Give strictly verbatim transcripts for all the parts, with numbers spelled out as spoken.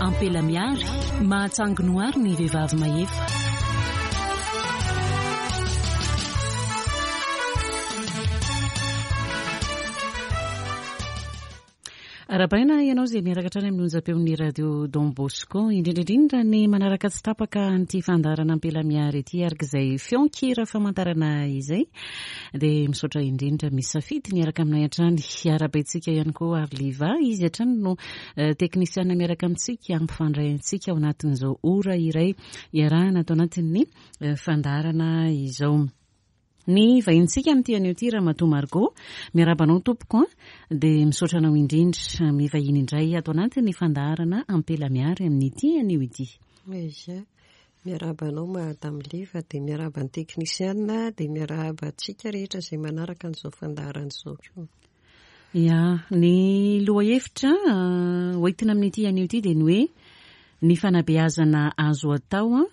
Ampela miary, mahatsangy noary ny vehivavy mahefa. Arahabaina ianao izay miaraka hatrany amin'ny onjam-peon'ny radio Don Bosco, indrindra indrindra ny manaraka tsy tapaka an'ity fandaharana Ampela Miary ity, araka izay feon-kira famantarana izay. Dia misaotra indrindra misafidy niaraka aminay hatrany. Arahabaintsika ihany koa Arliva, izy hatrany no teknisiana miaraka amintsika hampifandray antsika ao anatin'izao ora iray iarahana ato anatin'ny fandaharana izao. Ny vahintsika amin'ity anio ity Ramatoa Margot, miarahaba anao tompoko, dia misaotra anao indrindra mivahiny indray ato anatin'ny fandaharana Ampela Miary amin'ity anio ity. Ia, miarahaba anao Madame Liva, dia miarahaba ny teknisiana, dia miarahaba antsika rehetra izay manaraka an'izao fandaharana izao koa. Ia, ny lohahevitra hoentina amin'ity anio ity dia ny hoe ny fanabeazana azo atao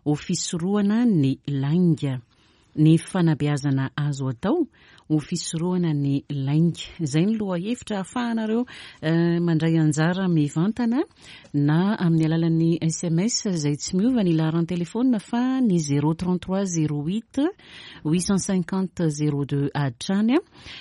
ho fisorohana ny lainga. Ny fanabeazana azo atao ho fisorohana ny lainga. Izay ny lohahevitra ahafahanareo mandray anjara mivantana na amin'ny alalan'ny S M S izay tsy miova ny laharan-telefona fa ny zéro trente-trois zéro huit huit cent cinquante zéro deux hatrany.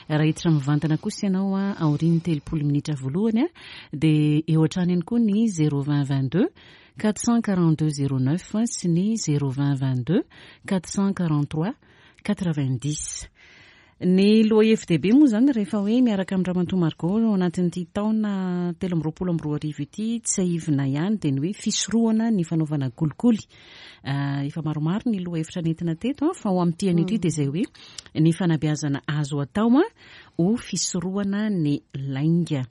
Raha hiditra mivantana kosa ianao aorian'ny telopolo minitra voalohany dia eo hatrany ihany koa ny zéro vingt vingt-deux quatre cent quarante-deux zéro neuf sy ny zéro vingt vingt-deux quatre cent quarante-trois quatre-vingt-dix. Ny lohahevy-dehibe moa izany rehefa hoe miaraka amin'ny Ramatoa Margot ao anatin'ity taona telo amby roapolo amby roa arivo ity, tsiahivina ihany dia ny hoe fisorohana ny fanaovana kolikoly. Efa maromaro ny lohahevitra nentina teto, fa ho amin'ity anio ity dia izay hoe ny fanabeazana azo atao ho fisorohana ny lainga.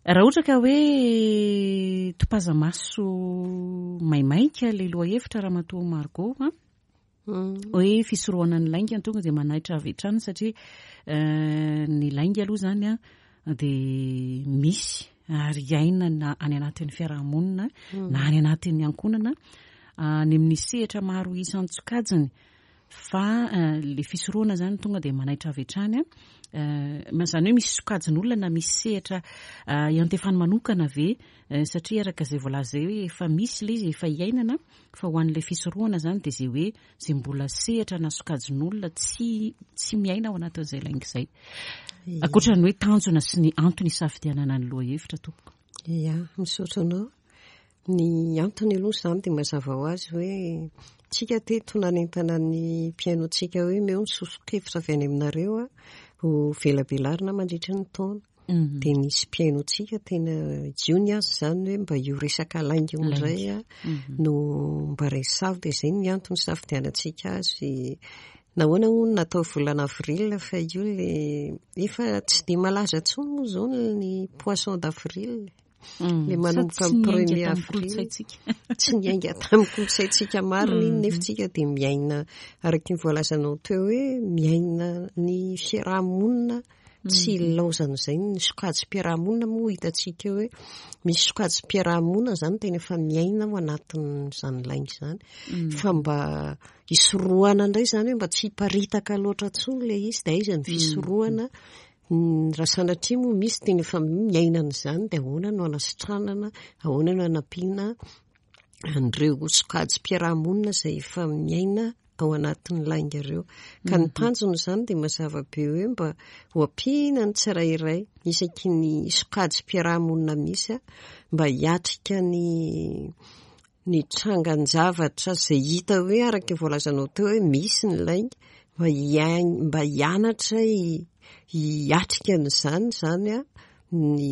Raha ohatra ka hoe topaza-maso maimaika ilay lohahevitra Ramatoa Margot, hoe fisorohana ny lainga tonga dia manaitra avy hatrany satria ny lainga aloha izany dia misy ary iainana any anatin'ny fiarahamonina na any anatin'ny ankohonana any amin'ny sehatra maro isan-tsokajiny, fa le fisorohana izany tonga dia manaitra avy hatrany. Izany hoe misy sokajin'olona na misy sehatra iantefany manokana ve, satria araka izay voalaza izay hoe efa misy ilay izy, efa iainana, fa ho an'ilay fisorohana izany dia izay hoe izay mbola sehatra na sokajin'olona tsy tsy miaina ao anatin'izay lainga izay. Ankoatra ny hoe tanjona sy ny antony isafidianana ny lohahevitra tompoko. Ia, misaotra anao. Ny antony aloha izany dia mazava ho azy hoe tsika teto nanentana ny mpihainoantsika hoe meo ny soso-kevitra avy any aminareo ho velabelarina mandritra ny taona. Dia nisy mpihainoantsika tena jiony azy izany hoe mba io resaka lainga io indray no mba resavo, dia izay ny antony isafidianantsika azy. Nahoana hono natao volana avril fa io le efa tsy dia malaza intsony moa izao ny poisson d'avril. Le manomboka amin'ny premier avril. Tsy niainga tamin'ny kolontsaintsika marina iny, nefa tsika dia miaina araka ny voalazanao teo hoe miaina ny fiarahamonina tsy ilaozan'izay ny sokajim-piarahamonina moa hitantsika hoe misy sokajim-piarahamonina izany tena efa miaina ao anatin'izany lainga izany, fa mba hisorohana indray izany hoe mba tsy hiparitaka loatra intsony ilay izy, dia aiza ny fisorohana? Raha sanatria moa misy tena efa miaina an'izany dia ahoana no hanasitranana, ahoana no hanampiana an'ireo sokajim-piarahamonina izay efa miaina ao anatin'ny lainga ireo. Ka ny tanjona izany dia mazava be hoe mba ho ampiana ny tsirairay isaky ny sokajim-piarahamonina misy mba hiatrika ny ny trangan-javatra izay hita hoe araka ny voalazanao teo hoe misy ny lainga, mba hiain-, mba hianatra hiatrika an'izany izany ny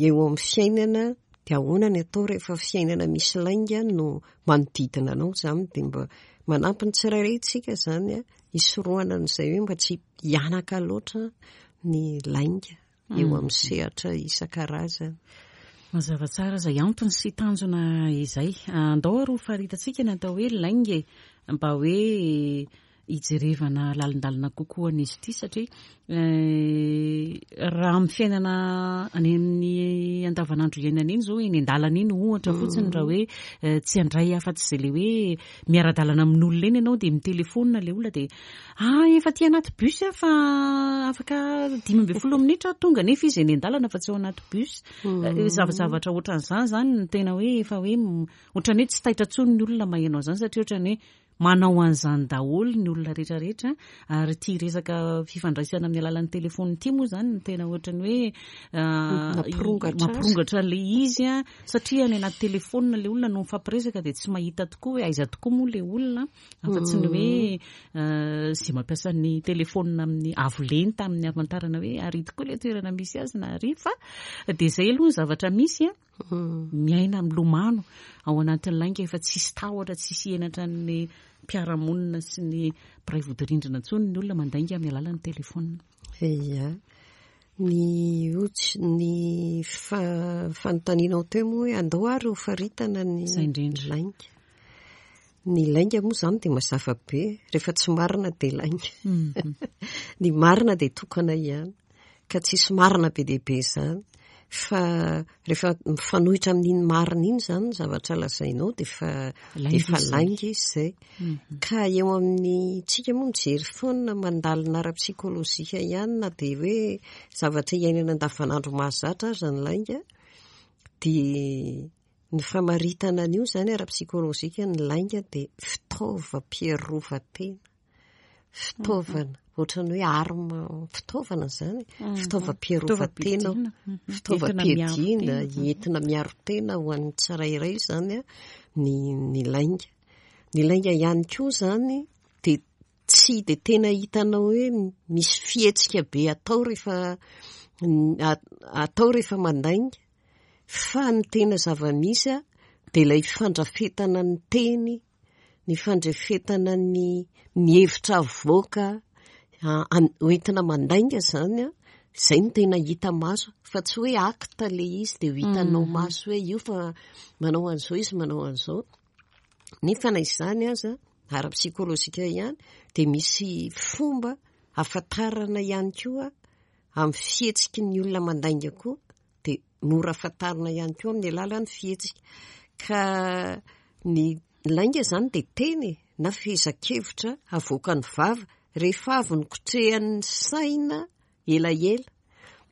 eo amin'ny fiainana. Dia ahoana ny atao rehefa fiainana misy lainga no manodidina anao izany, dia mba manampy ny tsirairay isika izany hisorohana an'izay hoe mba tsy hianaka loatra ny lainga eo amin'ny sehatra isan-karazany. Mazava tsara izay antony sy tanjona izay. Andao ary ho faritantsika ny atao hoe lainga e, mba hoe hijerevana lalindalina kokoa an'izy ity, satria raha amin'ny fiainana any amin'ny andavanandro iainana iny zao, eny an-dalana iny ohatra fotsiny, raha hoe eh, tsy handray afa-tsy izay le hoe miara-dalana amin'olona eny ianao, dia mitelefona le olona, dia ah, efa ty anaty bus aho fa afaka dimy ambin'ny folo minitra aho tonga, nefa izy eny an-dalana fa tsy ao anaty bus. Eh, zavazavatra ohatran'izany zany no tena hoe efa hoe m- ohatran'ny hoe tsy taitra intsony ny olona maheno an'izany, satria ohatran'ny hoe manao an'izany daholo ny olona rehetrarehetra. Ary ty resaka fifandraisana amin'ny alalan'ny telefony ity moa zany no tena ohatran'ny hoe ah, Mampirongatra azy. Mampirongatra le izy a, satria any anaty telefona le olona no mifampiresaka, dia tsy mahita tokoa hoe aiza tokoa moa le olona, afa-tsy ny hoe eh, zay mampiasa ny telefona amin'ny avo lenta amin'ny amantarana hoe ary tokoa le toerana misy azy na ary. Fa dia zay aloha ny zavatra misy a, miaina milomano ao anatin'ny lainga, efa tsisy tahotra, tsisy henatra ny mpiara-monina sy ny mpiray vodirindrina intsony ny olona mandainga amin'ny alalan'ny telefona. Ia, ny otsy ny fa- fanontanianao teo moa hoe andao ary ho faritana ny Izay indrindra. lainga. Ny lainga moa izany dia mazava be, rehefa tsy marina dia lainga. Ny marina dia tokana ihany, ka tsisy marina be dia be izany. Fa rehefa mifanohitra amin'iny marina iny izany ny zavatra lazainao, dia efa Lainga efa izy izay. Lainga izy izay. Ka eo amin'ny tsika moa mijery foana, mandalina ara-psikolojika ihany, na dia hoe zavatra iainana andavanandro mahazatra aza ny lainga, dia ny famaritana an'io izany ara-psikolojika, ny lainga dia fitaovam-piarovan-tena. Fitaovana, ohatran'ny hoe arme, fitaovana izany, fitaovam-piarovan-tena, fitaovam-piadiana, entina miaro tena ho an'ny tsirairay izany a, ny ny lainga. Ny lainga ihany koa izany dia tsy dia tena hitanao hoe misy fihetsika be atao rehefa atao rehefa mandainga, fa ny tena zava-misy a dia ilay fandrafetana ny teny, ny fandrafetana ny ny hevitra avoaka hoentina mandainga izany a, izay no tena hita maso, fa tsy hoe acte le izy dia ho hitanao maso hoe io fa manao an'izao izy, manao an'izao. Nefa na izany aza, ara-psikolojika ihany, dia misy fomba ahafantarana ihany koa amin'ny fihetsiky ny olona mandainga koa, dia mora fantarina ihany koa amin'ny alalan'ny fihetsika. Ka ny lainga izany dia teny na fehezan-kevitra avoakan'ny vava rehefa avy nikotrehan'ny saina elaela.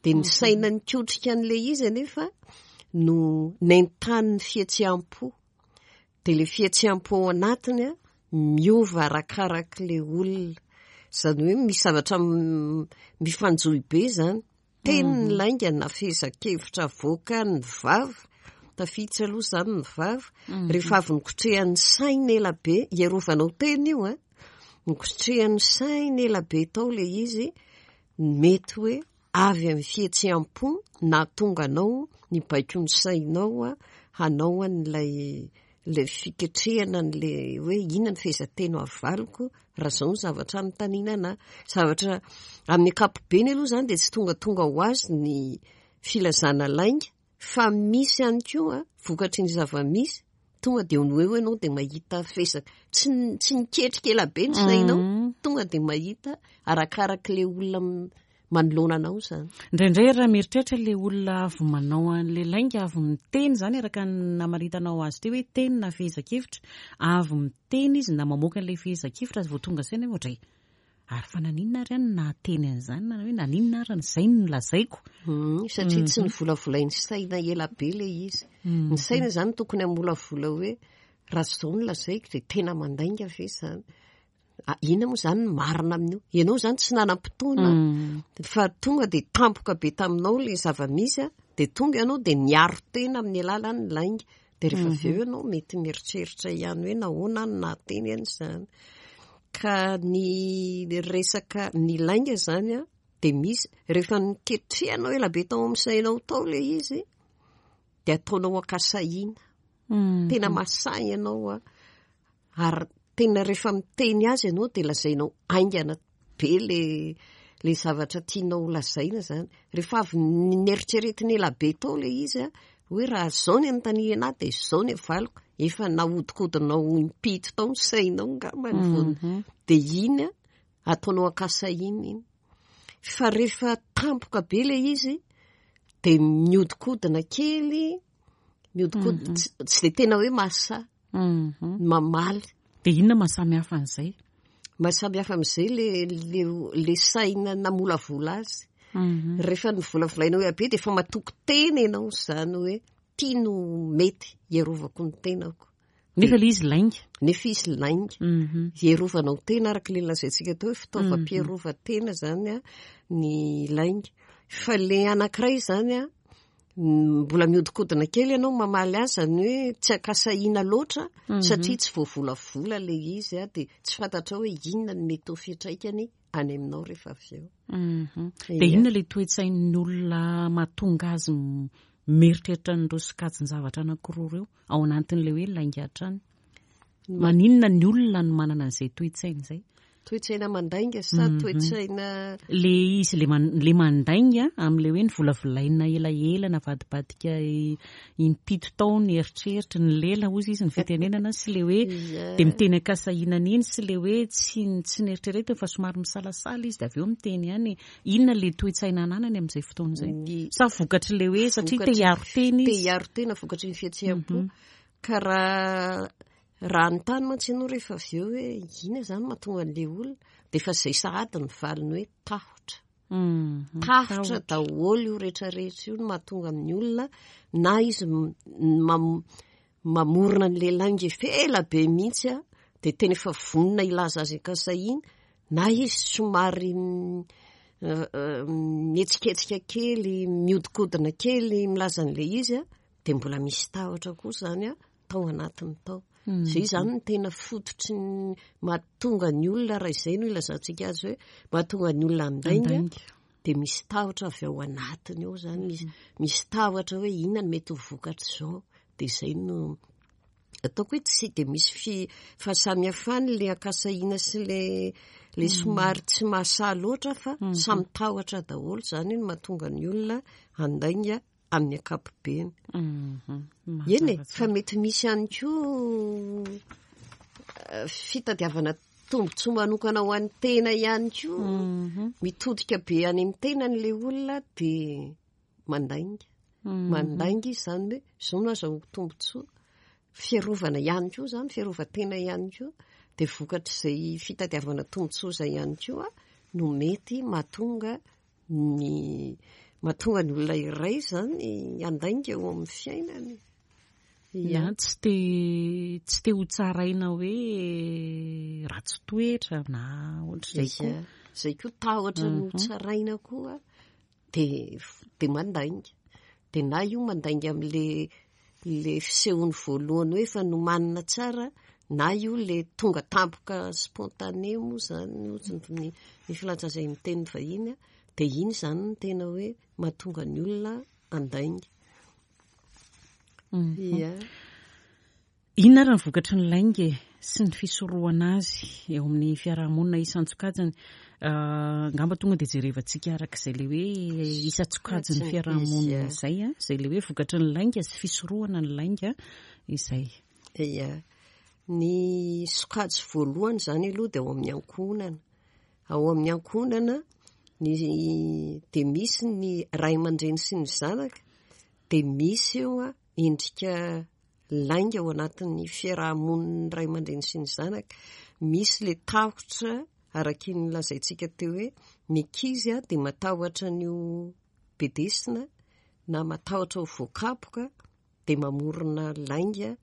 Dia ny saina nikotrika an'ilay izy anefa no nentanin'ny fihetseham-po. Dia ilay fihetseham-po ao anatiny a miova arakarak'ilay olona. Izany hoe misy zavatra mifanjohy be izany. Teny ny lainga na fehezan-kevitra avoakan'ny vava, tafiditra aloha izany ny vava, rehefa avy nikotrehan'ny saina ela be, iarovanao tena io a, nikotrehan'ny saina ela be tao ilay izy, mety hoe avy amin'ny fihetseham-po nahatonga anao nibaiko ny sainao a hanao an'ilay ilay fiketrehana an'ilay hoe inona ny fehezanteny avaliko raha izao ny zavatra anontaniana anahy. Zavatra amin'ny ankapobeny aloha izany dia tsy tongatonga ho azy ny filazana lainga, fa misy ihany koa vokatry ny zava-misy, tonga dia eo no eo ianao dia mahita fezaka. Tsy tsy niketrika ela be ny sainao, tonga dia mahita arakarak'ilay olona manoloana anao izany. Indraindray raha mieritreritra le olona avy manao an'le lainga, avy miteny izany, araka ny namaritanao azy teo hoe teny na fehezan-kevitra, avy miteny izy na mamoaka an'ilay fehezan-kevitra azy vao tonga saina hoe ohatray, ary fa naninona ary any nahateny an'izany, na hoe naninona ary izay no lazaiko. Satria tsy nivolavolain'ny saina ela be ilay izy. Ny saina izany tokony hamolavola hoe raha izao no lazaiko dia tena mandainga ve izany? Inona moa izany ny marina amin'io? Ianao izany tsy nanam-potoana fa tonga dia tampoka be taminao ilay zava-misy a, dia tonga ianao dia niaro tena amin'ny alalan'ny lainga. Dia rehefa avy eo ianao mety mieritreritra ihany hoe nahoana no nahateny an'izany. Ka ny resaka ny lainga izany a dia misy rehefa niketrehanao ela be tao amin'ny sainao tao ilay izy, dia ataonao an-kasahiana. Tena mahasahy ianao a, ary tena rehefa miteny azy ianao dia lazainao haingana be le le zavatra tianao lazaina izany. Rehefa avy nieritreretina ela be tao ilay izy a, hoe raha izao ny anontaniana ahy dia izao ny avaliko, efa nahodinkodinao impito tao ny sainao angambany vao dia iny a ataonao an-kasahiana iny. Fa rehefa tampoka be ilay izy De miodikodina kely, miodikodina, Mhm. tsy tsy de tena hoe mahasahy Mhm. mamaly. De inona mahasamy hafa an'izay? Mahasamy hafa amin'izay le le le saina namolavola azy. Mhm. Rehefa nivolavolaina hoe abe, de efa matoky tena ianao zany hoe tia no mety hiarovako ny tenako. Nefa le izy lainga. Nefa izy lainga. Mhm. Hierovanao tena araka le lazaintsika teo hoe fitaovam-piarovan-tena zany a ny lainga. Fa le anankiray zany a, mbola miodikodina kely ianao mamaly azy, zany hoe tsy ankasahiana loatra Mhm. satria tsy voavolavola le izy a, de tsy fantatra hoe inona ny mety ho fiantraikany any aminao rehefa avy eo. Mhm. De Ia. inona le toe-tsain'ny olona mahatonga azy m- mieritreritra an'ireo sokajin-javatra anankiroa ireo ao anatin'le hoe lainga hatrany? Maninona ny olona no manana an'izay toe-tsaina izay? Toe-tsaina mandainga sa Mhm. toe-tsaina? Le izy le man- le mandainga amin'le hoe nivolavolaina elaela, navadibadika i- impito tao ny eritreritra ny lela ozy izy ny fitenenana, sy le hoe Ia. de miteny ankasahiana iny, sy le hoe tsy tsy nieritreretiny fa somary misalasala izy de avy eo miteny ihany. Inona le toe-tsaina ananany amin'izay fotoana izay? Ny Sa vokatry le hoe satria te Vokatry- hiaro tena te izy? hiaro tena, vokatry ny fihetseham-po. Mhm. Ka raha raha anontany mantsy ianao rehefa avy eo hoe inona zany mahatonga an'le olona, de efa izay sahady ny valiny hoe tahotra. Mhm. Tahotra daholo io rehetrarehetra io no mahatonga amin'ny olona, na izy m- mam- mamorona an'le lainga efa ela be mihitsy a, de tena efa vonona hilaza azy ankasahiana, na izy somary mm, eh, eh, mihetsiketsika kely, miodikodina kely milaza an'le izy a, de mbola misy tahotra koa zany a tao anatiny tao. Zay zany no tena fototry ny mahatonga ny olona, raha izay no ilazantsika azy hoe mahatonga ny olona handainga, Handainga. de misy tahotra avy ao anatiny ao zany, misy misy tahotra hoe inona no mety ho vokatr'izao. De izay no ataoko hoe tsy de misy fi fahasamihafany le ankasahiana sy le le somary tsy mahasahy loatra, fa samy tahotra daholo zany no mahatonga ny olona handainga amin'ny ankapobeny. Mhm. Eny e, Mazava fa tsara. mety misy ihany koa eh, fitadiavana tombontsoa manokana ho an'ny tena ihany koa. Mhm. Mitodika be any amin'ny tenany le olona de mandainga. Mhm. Mandainga izy zany hoe zao no azahoako tombontsoa. Fiarovana ihany koa zany, fiarovan-tena ihany koa, de vokatr'izay fitadiavana tombontsoa izay ihany koa no mety mahatonga ny mahatonga ny olona iray zany handainga eo amin'ny fiainany. Ya, tsy te tsy te ho tsaraina hoe ratsy toetra na ohatr'izay koa. Ia, zay koa tahotra no Mhm. tsaraina koa, de de mandainga. De na io mandainga amin'le le fisehony voalohany hoe efa nomanina tsara, na io le tonga tampoka, spontané moa zany ozy ny ny filaza izay miteny vahiny a, de iny zany no tena hoe mahatonga ny olona handainga. Mhm. Ia. Inona ary ny vokatry ny lainga e, sy ny fisorohana azy eo amin'ny fiarahamonina isan-tsokajiny? Uh, angamba tonga de jerevantsika arak'izay le hoe isan-tsokajiny Izy, fiarahamonina ia. izay a, izay le hoe vokatry ny lainga sy fisorohana ny lainga izay. Ia. Ny sokajy voalohany zany aloha de ao amin'ny ankohonana. Ao amin'ny ankohonana ny de misy ny ray aman-dreny sy ny zanaka, de misy eo a endrika lainga ao anatin'ny fiarahamonin'ny ray aman-dreny sy ny zanaka. Misy le tahotra araky ny lazaintsika teo hoe ny ankizy a de matahotra an'io bedesina na matahotra ho voakapoka, de mamorona lainga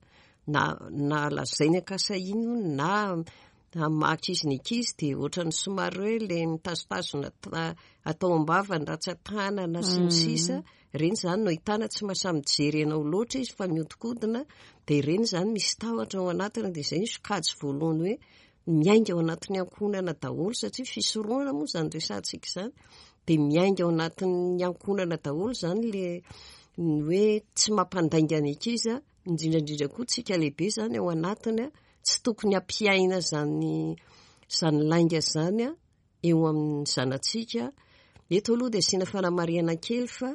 na na lazainy ankasahiana io, na maka izy ny ankizy de ohatran'ny somary hoe le mitazotazona ta- atao am-bava ny ratsan-tanana sy ny sisa. Ireny zany no ahitana tsy mahasahy mijery anao loatra izy fa miodikodina, de ireny zany misy tahotra ao anatiny. De izay ny sokajy voalohany hoe miainga ao anatin'ny ankohonana daholo, satria fisorohana moa zany resahantsika izany, de miainga ao anatin'ny ankohonana daholo zany le ny hoe tsy mampandainga ny ankizy a, indrindrandrindra koa tsika lehibe zany ao anatiny a, tsy tokony hampiaina zany zany lainga zany a eo amin'ny zanatsika. Eto aloha de asiana fanamarihana kely fa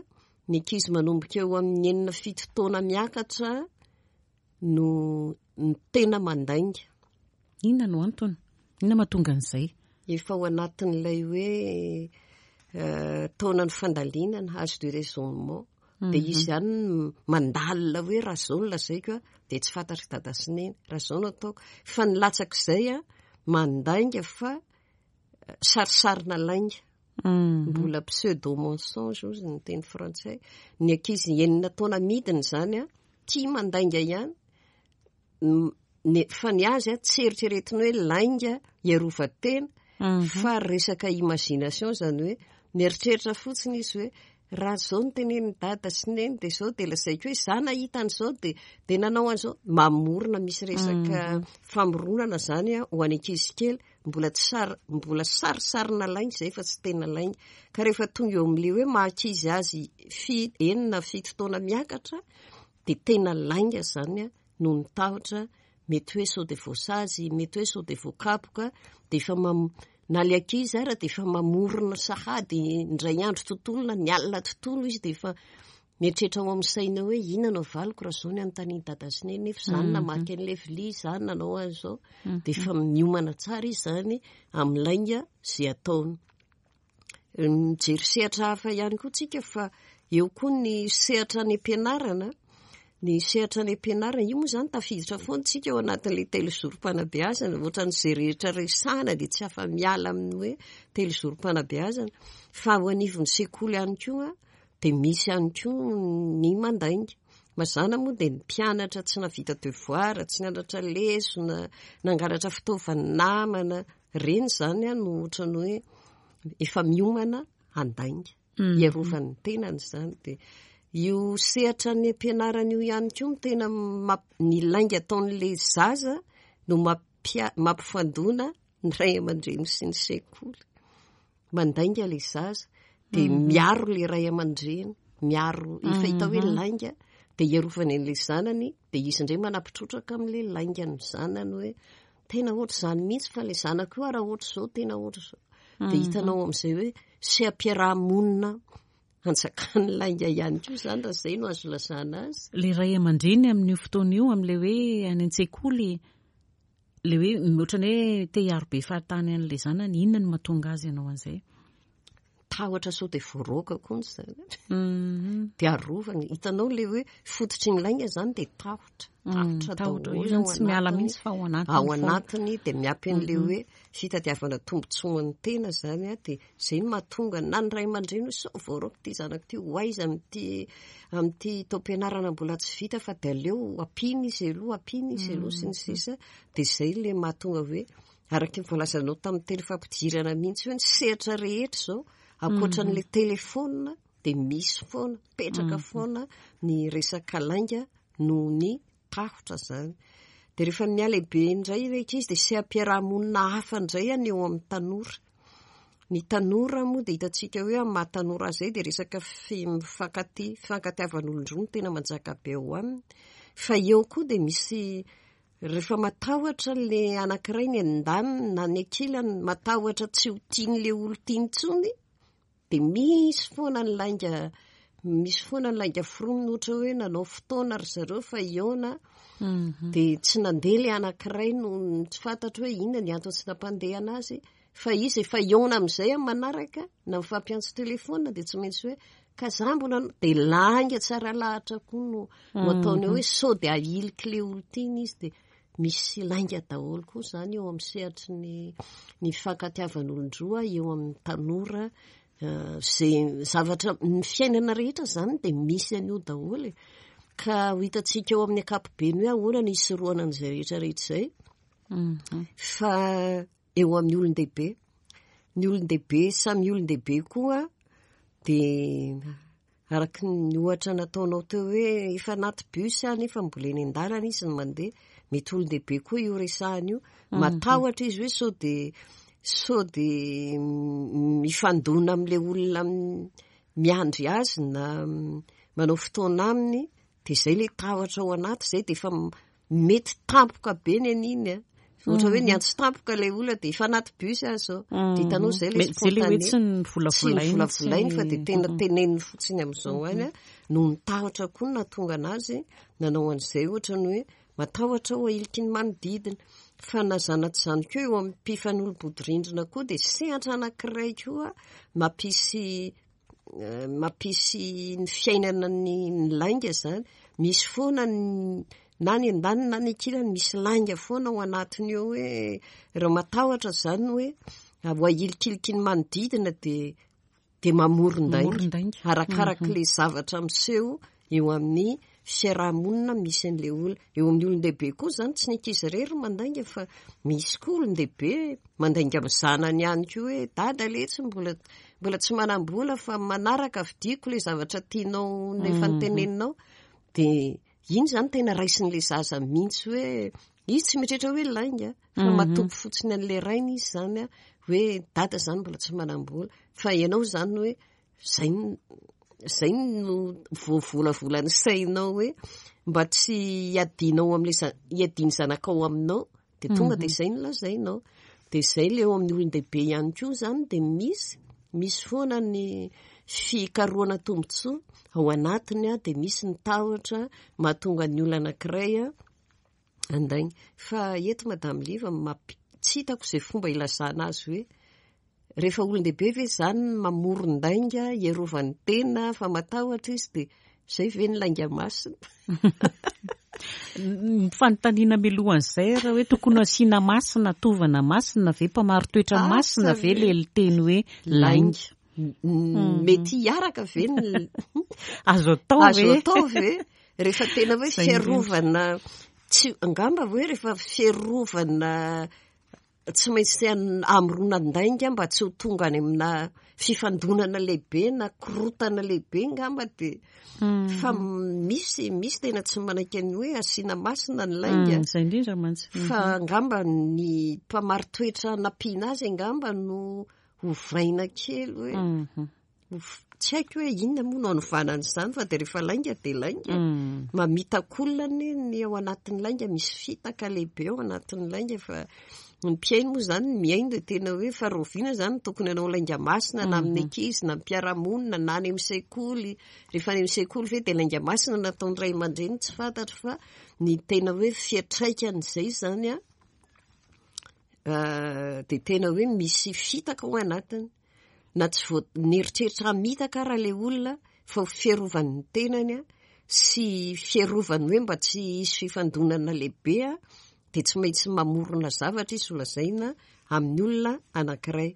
ny ankizy manomboka eo amin'ny enina fito taona miakatra no ny tena mandainga. Inona no antony? Inona mahatonga an'izay? Efa ao anatin'ilay hoe eh, taonan'ny fandalinana, âge de raisonnement. Dia izy ihany mandalina hoe raha izao no lazaiko a, dia tsy fantatr'i dada sy neny, raha izao no ataoko. Fa ny latsak'izay a, mandainga fa sarisarina lainga. Mbola pseudo mensonge ozy ny teny frantsay. Ny ankizy enina taona midina izany a, tia mandainga ihany, fa ny azy a tsy eritreretiny hoe lainga hiarovan-tena, fa resaka imagination, izany hoe mieritreritra fotsiny izy hoe raha izao no tenenin'i dada sy neny dia izao, dia lazaiko hoe izaho nahita an'izao dia dia nanao an'izao. Mamorona, misy resaka famoronana izany a ho an'ny ankizy kely, mbola tsy sary, mbola sarisarina lainga izay fa tsy tena lainga. Ka rehefa tonga eo amin'ilay hoe maha ankizy azy fi enina fito taona miakatra, dia tena lainga izany a, noho ny tahotra mety hoe sao dia voasazy, mety hoe sao dia voakapoka, dia efa mam na ilay ankizy ara dia efa mamorona sahady indray andro tontolo na ny alina tontolo izy, dia efa mieritreritra ao amin'ny saina hoe inona no avaliko raha izao ny anontanian'i dada sy neny, nefa izaho namaky an'ilay vilia, izaho nanao an'izao, dia efa miomana tsara izy izany amin'ny lainga izay ataony. Mijery sehatra hafa ihany koa tsika, fa eo koa ny sehatra any am-pianarana. Ny sehatra any am-pianarana io moa izany tafiditra foana tsika ao anatin'ilay telozorom-panabeazana, ohatran'izay rehetra resahana dia tsy afa-miala amin'ny hoe telozorom-panabeazana. Fa ao anivon'ny sekoly ihany koa dia misy ihany koa ny mandainga. Mazàna moa dia ny mpianatra tsy nahavita devoir, tsy nianatra lesona, nangalatra fitaovan'ny namana, ireny izany no ohatran'ny hoe efa miomana handainga, hiarovany ny tenany izany. Dia io sehatra ny am-pianarana io ihany koa no tena ny lainga ataon'ilay zaza no mampia- mampifandona ny ray aman-dreny sy ny sekoly. Mandainga ilay zaza dia miaro ilay ray aman-dreny, miaro, efa hita hoe lainga, dia hiarovany an'ilay zanany, dia izy indray manampitrotraka amin'ilay laingan'ny zanany hoe tena ohatr'izany mihitsy fa ilay zanako io raha ohatr'izao tena ohatr'izao. Dia hitanao amin'izay hoe seha-piarahamonina anjakan'ny lainga ihany koa izany, raha izay no azo lazana azy. Ilay ray aman-dreny amin'io fotoana io, amin'ilay hoe any an-tsekoly, ilay hoe ohatran'ny hoe te hiaro be fahatany an'ilay zanany, inona no mahatonga azy hanao an'izay? Tahotra sao dia voaroaka koa ny zanany. Dia arovany. Hitanao ilay hoe fototry ny lainga izany dia tahotra. Tahotra Tahotra daholo io zany ao tsy miala anatiny. mihitsy fa ao anatiny Ao foana. anatiny dia miampy an'ilay hoe fitadiavana tombontsoan'ny tena izany a, dia izay no mahatonga na ny ray aman-dreny hoe sao voaroaka ity zanako ity, ho aiza amin'ity amin'ity taom-pianarana mbola tsy vita fa dia aleo ampiana izy aloha, ampiana izy aloha sy ny sisa. Dia izay ilay mahatonga hoe araka ny voalazanao tamin'ny teny fampidirana mihitsy hoe ny sehatra rehetra izao ankoatran'ilay telefônina dia misy foana, mipetraka foana ny resaka lainga noho ny tahotra izany. Dia rehefa mialehibe indray ilay ankizy dia seha-piarahamonina hafa indray any eo amin'ny tanora. Ny tanora moa dia hitantsika hoe amin'ny maha tanora azy izay dia resaka fi- mifankatia, fifankatiavan'olon-droa no tena manjaka be ao aminy. Fa eo koa dia misy rehefa matahotra ilay anankiray ny andaniny na ny ankilany, matahotra tsy ho tian'ilay olon-tiany intsony, dia misy foana ny lainga, misy foana ny lainga foronina, ohatra hoe nanao fotoana ry zareo fa hihaona, dia tsy nandeha ilay anankiray no tsy fantatro hoe inona ny antony tsy nampandehana azy, fa izy efa hihaona amin'izay amin'ny manaraka, na mifampiantso telefôna dia tsy maintsy hoe ka za mbola dia lainga tsara lahatra koa no no ataony hoe sao dia ahiliky ilay olon-tiany izy, dia misy lainga daholo koa izany eo amin'ny sehatry ny ny fifankatiavan'olon-droa eo amin'ny tanora. Izay zavatra ny fiainana rehetra izany dia misy an'io daholo e. Ka ho hitantsika eo amin'ny ankapobeny hoe ahoana ny hisorohana an'izay rehetra rehetra izay. Fa eo amin'ny olon-dehibe, ny olon-dehibe samy olon-dehibe koa dia araka ny ohatra nataonao teo hoe efa anaty bus aho nefa mbola eny an-dalana izy no mandeha, mety olon-dehibe koa io resahana io, matahotra izy hoe sao dia sao dia mifandona amin'ilay olona miandry azy na manao fotoana aminy, dia izay ilay tahotra ao anaty izay dia efa mety tampoka be ny an'iny a. Ohatra hoe niantso tampoka ilay olona dia efa anaty bus aho izao. Dia hitanao izay ilay Mety izay ilay hoe tsy ny Tsy ny volavolainy, volavolainy fa dia tena tsy- teneniny fotsiny amin'izao any a, noho ny tahotra koa no nahatonga anazy nanao an'izay, ohatra ny hoe matahotra ho ahiliky ny manodidina. Fa na zana-tsy izany koa eo amin'ny mpifanolo-bodirindrina koa dia sehatra anankiray koa mampisy Mampisy ny fiainana ny ny lainga zany, misy foana na ny andaniny na ny ankilany, misy lainga foana ao anatiny eo, hoe raha matahotra zany hoe ho ahilikiliky ny manodidina de de mamoron-dainga arakaraka le zavatra miseho eo amin'ny fiarahamonina misy an'le olona. Eo amin'ny olon-dehibe koa zany, tsy ny ankizy irery mandainga fa misy koa olon-dehibe mandainga amin'ny zanany ihany koa hoe dada letsy mbola mbola tsy manam-bola fa manaraka vidiako le zavatra tianao nefa nyteneninao. De iny zany tena raisin'le zaza mihitsy hoe izy tsy mieritreritra hoe lainga fa matoky fotsiny an'le rainy izy zany a, hoe dada zany mbola tsy manam-bola fa ianao zany hoe zay zay no voavolavola ny sainao hoe mba tsy hiadinao am'le hiadiny zanakao aminao, de tonga de zay no lazainao. De zay le eo amin'ny olon-dehibe ihany koa zany, de misy misy foana ny fikarohana tombontsoa ao anatiny a, de misy ny tahotra mahatonga ny olona anankiray a andainga. Fa eto, Madame Liva, mampi- tsy hitako izay fomba ilazana azy hoe rehefa olon-dehibe ve zany mamoron-dainga hiarovany tena fa matahotra izy, de zay ve ny lainga masina? Ny fanontaniana mialohan'izay raha hoe tokony asiana masina, tovana masina ve, mpamari-toetra masina ve le teny hoe lainga? Mety hiaraka ve ny Azo atao azo ve? atao ve rehefa tena hoe Zay indrindra. fiarovana tsy angamba hoe rehefa fiarovana tsy maintsy amoronan-dainga mba tsy ho tonga any amina fifandonana lehibe na korotana lehibe ngamba, de fa misy misy tena tsy manaiky ny hoe asiana masina ny lainga. Mm, zay indrindra mantsy. Fa angamba ny mpamari-toetra nampiana azy angamba no hovaina kely hoe Mhm. ho- tsy haiko hoe inona moa no anovana an'izany, fa de rehefa lainga de lainga. Mm. Mamitaka olona ny ny ao anatin'ny lainga, misy fitaka lehibe ao anatin'ny lainga. Fa ny mpihaino moa zany mihaino de tena hoe fa rahoviana zany tokony hanao lainga masina, na amin'ny ankizy na mpiara-monina na any amin'ny sekoly? Rehefa any amin'ny sekoly ve de lainga masina nataony ray aman-dreny? Tsy fantatro, fa ny tena hoe fiantraikan'izay zany a, euh, de tena hoe misy fitaka ao anatiny, na tsy vo nieritreritra hamitaka raha le olona fa ho fiarovany ny tenany a sy fiarovany hoe mba tsy hisy fifandonana lehibe a, de tsy maintsy mamorona zavatra izy ho lazaina amin'ny olona anankiray.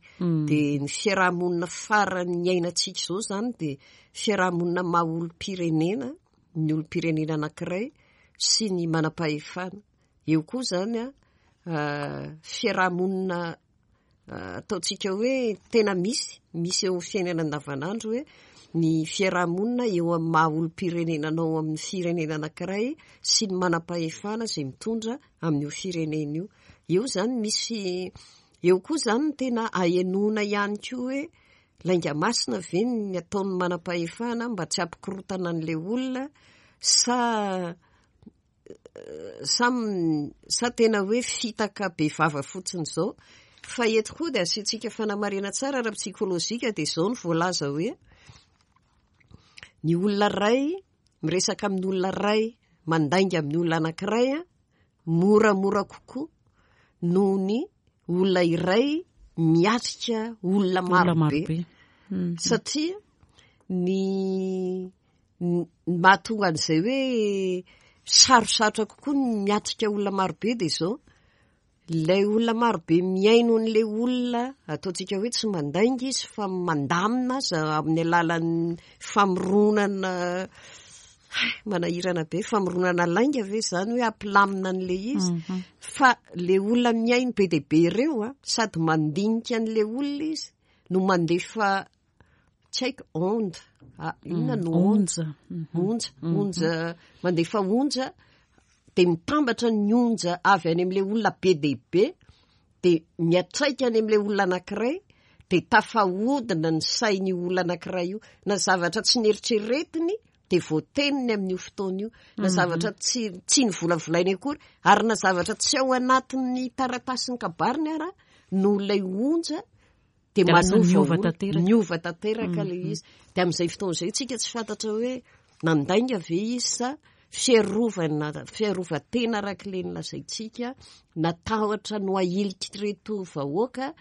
De ny fiarahamonina farany iainantsika izao zany de fiarahamonina maha olom-pirenena, ny olom-pirenena anankiray sy ny manam-pahefana eo koa zany a, euh, fiarahamonina euh, ataontsika hoe tena misy misy eo amin'ny fiainana andavanandro, hoe ny fiarahamonina eo amin'ny maha olom-pirenena anao amin'ny firenena anankiray sy ny manam-pahefana izay mitondra amin'io firenena io. Eo zany misy eo koa zany ny tena ahenoana ihany koa hoe lainga masina ve ny ataon'ny manam-pahefana mba tsy hampikorotana an'ilay olona sa sa sa tena hoe fitaka be vava fotsiny izao? Fa eto koa de asiantsika fanamarihana tsara ara-psikolojika, de izao ny voalaza hoe ny olona ray miresaka amin'ny olona ray, mandainga amin'ny olona anankiray a, moramora kokoa noho ny olona iray miatrika olona Olona marobe. Marobe. Mm. Satria ny ny mahatonga an'izay hoe sarosarotra kokoa ny miatrika olona marobe, de izao ilay olona marobe mihaino an'ilay olona ataontsika hoe tsy mandainga izy fa mandamina azy amin'ny alalan'ny famoronana, manahirana be, famoronana lainga ve zany hoe ampilamina an'le izy. Mhm. Fa le olona mihaino be dia be ireo a, sady mandinika an'le olona izy no mandefa, tsy haiko, onde, ah, inona no onde? Onja. Mhm. Onja, onja, mandefa onja, de mitambatra ny onja avy any amin'le olona be dia be, de miatraika any amin'le olona anankiray, de tafahodina ny sain'io olona anankiray io, na zavatra tsy nieritreretiny de voateniny amin'io fotoana io, na zavatra tsy tsy nivolavolainy akory ary na zavatra tsy ao anatin'ny taratasin'ny kabariny ara no ilay onja de De lasa manova miova olona. Tanteraka. Miova tanteraka le izy. De amin'izay fotoana izay tsika tsy fantatra hoe nandainga ve izy sa fiarovana, fiarovan-tena araka le nolazaintsika, natahotra no ahiliky reto vahoaka.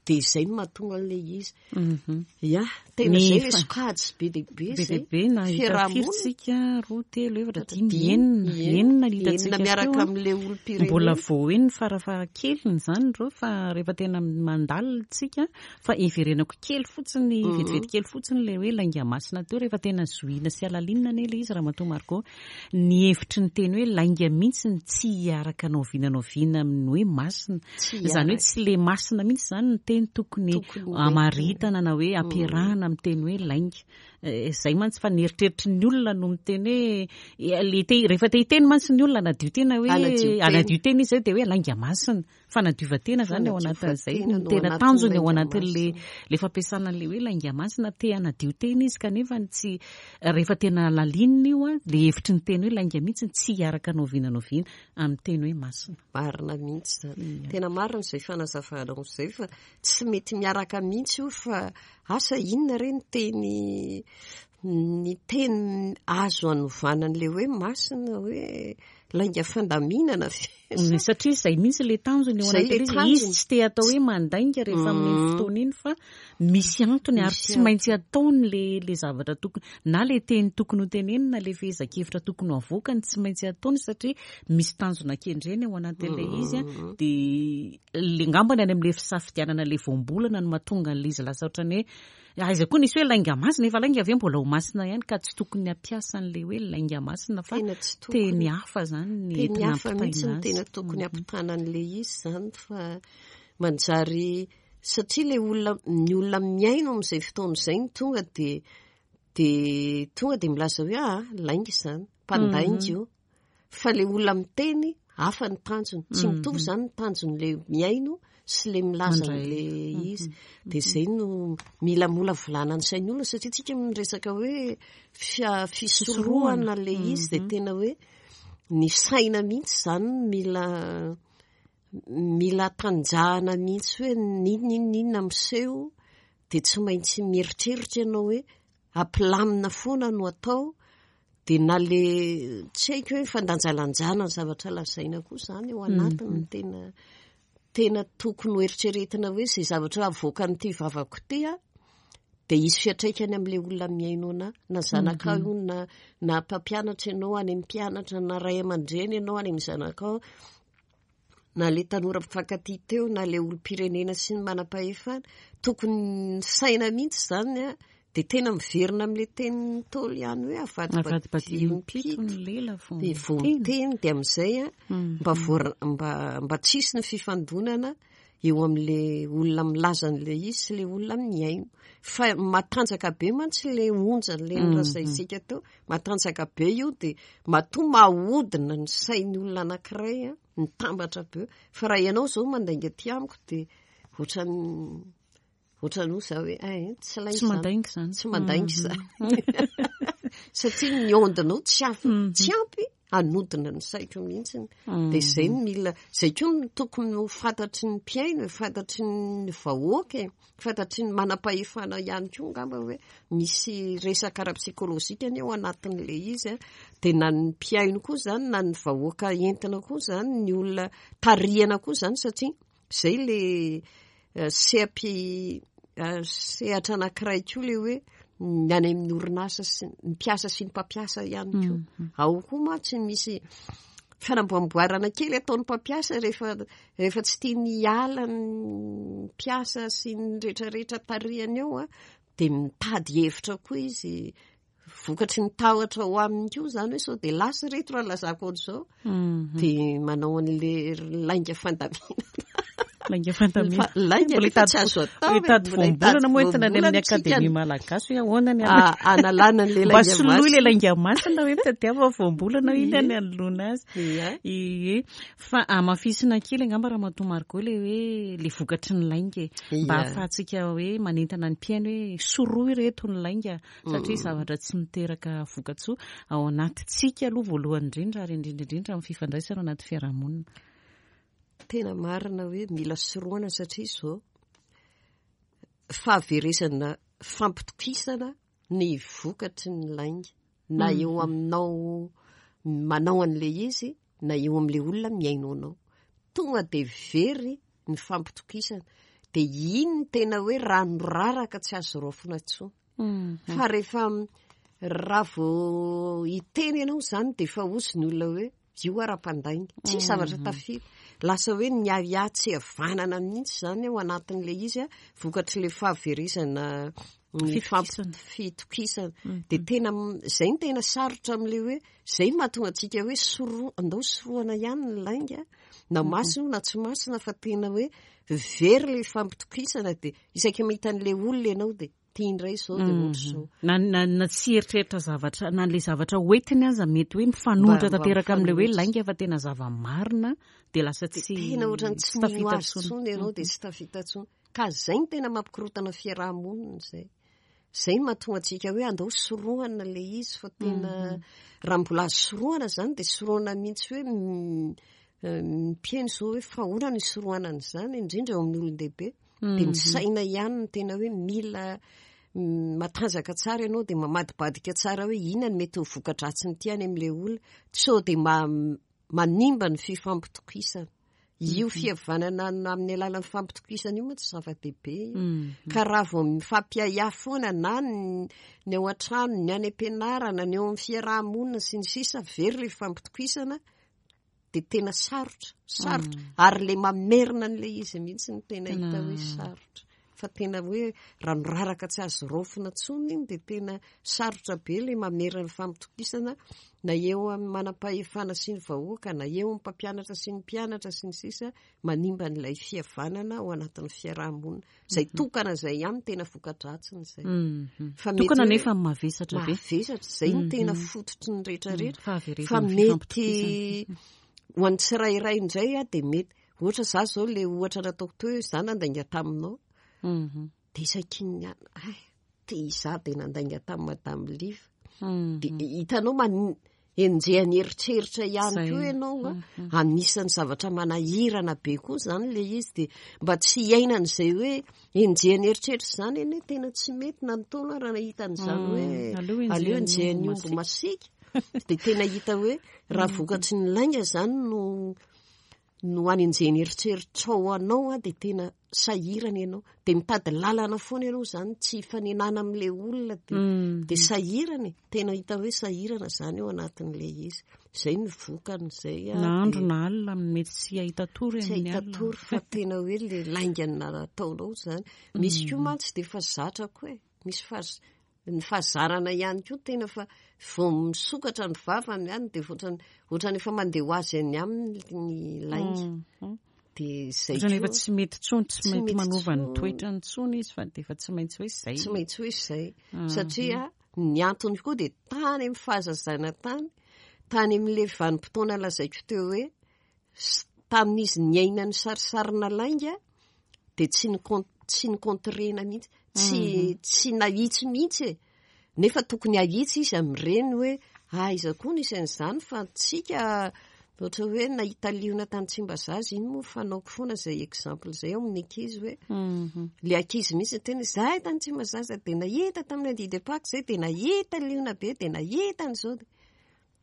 Dia izay no mahatonga an'ilay izy. Mhm. Ya, tena Ny izay ilay fa- sokajy be dia be Be dia izay. be na hita Fiarahamonina. firy-tsika, roa, telo, efatra, dimy, Dimy, enina, enina ny hitantsika enina miaraka teo, a. amin'ilay olom-pirenena. Mbola vao eny farafahakeliny izany ireo, fa rehefa tena mandalina tsika, fa iverenako kely fotsiny, Mhm. vetivety kely fotsiny ilay hoe lainga masina teo, rehefa tena zohina sy alalinina anie ilay izy, Ramatoa Margot. Ny hevitry ny teny hoe lainga mihitsy ny tsy hiaraka na oviana na oviana amin'ny hoe masina. Tsy Izany hoe hiaraka. tsy le masina mihitsy izany ny teny tokony Tokony ho amaritana na hoe ampiarahana amin'ny teny hoe lainga. Eh, izay mantsy fa ny eritreritry ny olona no miteny hoe, eh, le te, rehefa te hiteny mantsy ny olona anadio tena hoe Anadio tena. anadio tena izy zay dia hoe lainga masina. Fanadiovan-tena zany ao anatin'izay. Fanadiovan-tena Ny no tena anatin'ny tanjony ao lainga anatin'le masina. le fampiasana an'le hoe lainga masina, te hanadio tena izy kanefa ny tsy, rehefa tena lalinina io a, le hevitry ny teny hoe lainga mihitsy tsy hiaraka na oviana na oviana amin'ny teny hoe masina. Marina mihitsy zany. Tena marina izay fanazavanao izay, fa tsy mety miaraka mihitsy io, fa asa inona re ny teny, ny teny azo anovana an'ilay hoe masina, hoe lainga fandaminana ve? Mm, satria izay mihitsy ilay tanjony eo Izay ilay anatin'ilay izy. Izy tanjony. tsy te atao hoe mandainga rehefa amin'iny Mm. fotoana iny, fa misy antony ary Misy tsy maintsy ataony le, le zavatra tokony, na le teny tokony ho tenenina, le fehezan-kevitra tokony ho avoakany, tsy maintsy ataony satria misy tanjona kendreny ao anatin'ilay izy a. Mm. Dia le ngambany any amin'ilay fisafidianana le voambolana no mahatonga an'ilay izy lasa ohatran'ny hoe aiza koa nisy hoe lainga masina, efa lainga ve mbola ho masina ihany, ka tsy tokony hampiasa an'ilay hoe lainga masina fa Tena tsy tokony. teny hafa zany ny Teny entina hafa mihitsy ampitaina no tena azy. tokony hampitana an'ilay izy zany, fa manjary satria ilay olona, ny olona mihaino amin'izay fotoana izay no tonga dia, dia tonga dia milaza hoe ah, lainga izany, mpandainga io. Fa ilay olona miteny hafa ny tanjony. Tsy mitovy izany ny tanjon'ilay mihaino sy ilay milaza Mandray. an'ilay izy. Dia izay no mila molavolana ny sain'ny olona, satria tsika miresaka hoe fia-, fisorohana ilay izy, dia tena hoe ny saina mihitsy izany mila, mila tanjahana mihitsy hoe n'inona n'inona n'inona miseho, dia tsy maintsy mieritreritra ianao hoe ampilamina foana no atao, dia na le tsy haiko hoe fandanjalanjana ny zavatra lazaina koa izany ao anatiny no tena, tena tokony ho eritreretina hoe izay zavatra avoakan'ity vavako ity a, dia hisy fiantraikany amin'ilay olona mihaino anahy, na zanakao io, na, na mpampianatra ianao any amin'ny mpianatra, na ray aman-dreny ianao any amin'ny zanakao, na le tanora mpifankatia teo, na le olom-pirenena sy ny manam-pahefana. Tokony ny saina mihitsy izany a, dia tena miverina amin'ilay tenin'ny Ntaolo ihany hoe Avadibadiho avadibadiho impito ny lela vao dia vao miteny. miteny, dia amin'izay a, Mhm. mba voa-, mba, mba tsisy ny fifandonana eo amin'ilay olona milaza an'ilay izy sy ilay olona mihaino. Fa matanjaka be mantsy ilay onja, ilay Mhm. nolazaintsika teo, matanjaka be io, dia matoa mahodina ny sain'ny olona anankiray a, mitambatra be. Fa raha ianao izao mandainga aty amiko, dia ohatran'ny, ohatran'ny hoe za hoe, eh, tsy lainga Tsy izany. mandainga izany. Tsy mandainga Mhm. izany. Satria ny ondinao tsy ampy, Mhm. tsy ampy hanodina ny saiko mihitsy. Mhm. Dia izay no mila, izay koa no tokony ho fantatry ny mpihaino, fantatry ny vahoaka, fantatry ny manam-pahefana ihany koa angamba hoe misy resaka ara-psikolojika anie ao anatin'ilay izy a. Dia na ny mpihaino koa izany, na ny vahoaka entina koa izany, ny olona tarihana koa izany, satria izay ilay, eh, seha-pi-, eh, sehatra anankiray koa ilay hoe ny any amin'ny orinasa sy ny mpiasa sy ny mpampiasa ihany koa. Mhm. Ao koa mantsy misy fanamboamboarana kely ataon'ny mpampiasa rehefa, rehefa tsy tiany hiala ny mpiasa sy ny rehetrarehetra tarihany eo a, dia mitady hevitra koa izy, vokatry ny tahotra ho aminy koa izany hoe sao dia lasa ireto raha lazako ohatr'izao. Mhm. Dia manao an'ilay lainga fandaminana. Lainga fandaminana. Fa lainga Mbola nefa hitady tsy azo atao mbola hitady e, mbola voambolana moa hitady entina any amin'ny voambolana tsika. Akademia Malagasy hoe ahoana ny Ah, analana an'ilay Mba lainga soloy ilay masina. lainga masina hoe mitadiava voambolana iny Ie. any anoloana azy. Ie. Ie. Fa hamafisina kely angamba Ramatoa Margot ilay hoe ilay vokatry ny lainga e. Mba Ie. ahafahantsika hoe manentana ny mpihaino hoe sorohy ireto ny lainga, satria Mm. zavatra tsy miteraka vokatsoa ao anatintsika aloha voalohany indrindra, ary indrindra indrindra amin'ny fifandraisana ao anaty fiarahamonina. Tena marina hoe mila sorohana, satria izao fahaverezana fampitokisana ny vokatry ny lainga, na Mhm. eo aminao manao an'ilay izy, na eo amin'ilay olona mihaino anao. Tonga dia very ny fampitokisana. Dia iny no tena hoe rano raraka tsy azo raofina intsony. Fa rehefa raha vao hiteny ianao izany dia efa hozy ny olona hoe io ara-pandainga. Tsy zavatra tafita. Lasa hoe ny ahiahy tsy havanana mihitsy izany ao anatin'ilay izy, vokatr'ilay fahaverezana ny fitokisana. Dia tena izay no tena sarotra amin'ilay hoe izay no mahatonga antsika hoe soro, andao sorohana ihany ny lainga, na masina na tsy masina, fa tena hoe very ilay fampitokisana. Dia isaky mahita an'ilay olona ianao dia tia indray izao dia ohatra izao. Na, na, na tsy eritreritra zavatra, na ilay zavatra hoentiny aza mety hoe mifanohitra tanteraka amin'ilay hoe lainga, fa tena zava-marina dia lasa tsy tena ohatran'ny tsy mino azy intsony ianao, dia tsy tafita intsony. Ka izay no tena mampikorontana fiaraha-monina izay. Izay no mahatonga antsika hoe andao sorohana ilay izy, fa tena raha mbola azo sorohana izany dia sorohana mihitsy hoe mpihaino izao hoe fa ahoana no isorohana an'izany, indrindra eo amin'ny olon-dehibe. Dia ny saina ihany no tena hoe mila matanjaka tsara ianao, dia mamadibadika tsara hoe inona no mety ho voka-dratsin'ity any amin'ilay olona, sao dia manimba ny fifampitokisana. Io fihavanana amin'ny alalan'ny fampitokisana io moa tsy zava-dehibe io. Ka raha vao mifampiahiahy foana na ny ao an-trano, ny any am-pianarana, ny eo amin'ny fiaraha-monina sy ny sisa, very ilay fampitokisana, dia tena sarotra, sarotra. Ary ilay mamerina an'ilay izy mihitsy no tena hita hoe sarotra. Fa tena hoe rano raraka tsy azo raofina intsony iny, dia tena sarotra be ilay mamerina ny fampitokisana, na eo amin'ny manam-pahefana sy ny vahoaka, na eo amin'ny mpampianatra sy ny mpianatra sy ny sisa, manimba an'ilay fihavanana ao anatin'ny fiaraha-monina. Izay tokana izay ihany tena voka-dratsiny izay. Fa mety Tokana hoe nefa mavesatra be. Mavesatra, izay no tena fototry ny rehetrarehetra. Fahaverezan'ny Fa mety fifampitokisana. ho an'ny tsirairay indray, dia mety ohatra izaho izao ilay ohatra nataoko teo hoe izaho nandainga taminao. Dia isaky ny an-, ay, te izaho dia nandainga tamin'i Madame Liva. Dia hitanao man-, enjehan'ny eritreritra ihany Izay. koa ianao, a. Anisan'ny zavatra manahirana be koa izany ilay izy, dia mba tsy hiainan'izay hoe enjehan'ny eritreritra izany anie tena tsy mety na ny taona raha nahita an'izany hoe Aleo enjehan'ny aleo enjehan'ny omby omby masiaka. Dia tena hita hoe raha vokatry ny lainga izany no, no anenjehan'ny eritreritrao anao, a, dia tena sahirana ianao. Dia mitady lalana foana ianao izany, tsy hifanenana amin'ilay olona, dia, dia sahirana e. Tena hita hoe sahirana izany ao anatin'ilay izy. Izay no vokany izay, a, Na andro dia na alina, mety tsy hahita tory tsy amin'ny hahita alina. tory, fa tena hoe ilay lainga nataonao izany. Misy koa mantsy dia efa zatra koa e. Misy fahaz-, ny fahazarana ihany koa tena fa vao misokatra ny vavany ihany dia ohatrany, ohatrany efa mandeha ho azy any aminy ny lainga. Dia izay Ohatrany efa koa tsy mety intsony, tsy Tsy mety mety manova ny intsony. toetrany intsony izy, fa dia efa tsy maintsy hoe izay. Tsy maintsy hoe izay. Satria ny antony koa dia tany amin'ny fahazazana tany, tany amin'ilay vanim-potoana lazaiko teo hoe s-, tamin'izy niaina ny sarisarina lainga, dia tsy nikon-, tsy nikontrena mihitsy, tsy, tsy nahitsy mihitsy e. Nefa tokony hahitsy izy amin'ireny hoe aiza koa nisy an'izany, fa tsika ohatra hoe nahita liona tany Tsimbazaza, iny moa fanaoko foana izay exemple izay ao amin'ny ankizy hoe ilay ankizy mihitsy tena hoe izahay tany Tsimbazaza dia nahita tamin'ny lundi de Pâques izay, dia nahita liona be, dia nahita an'izao.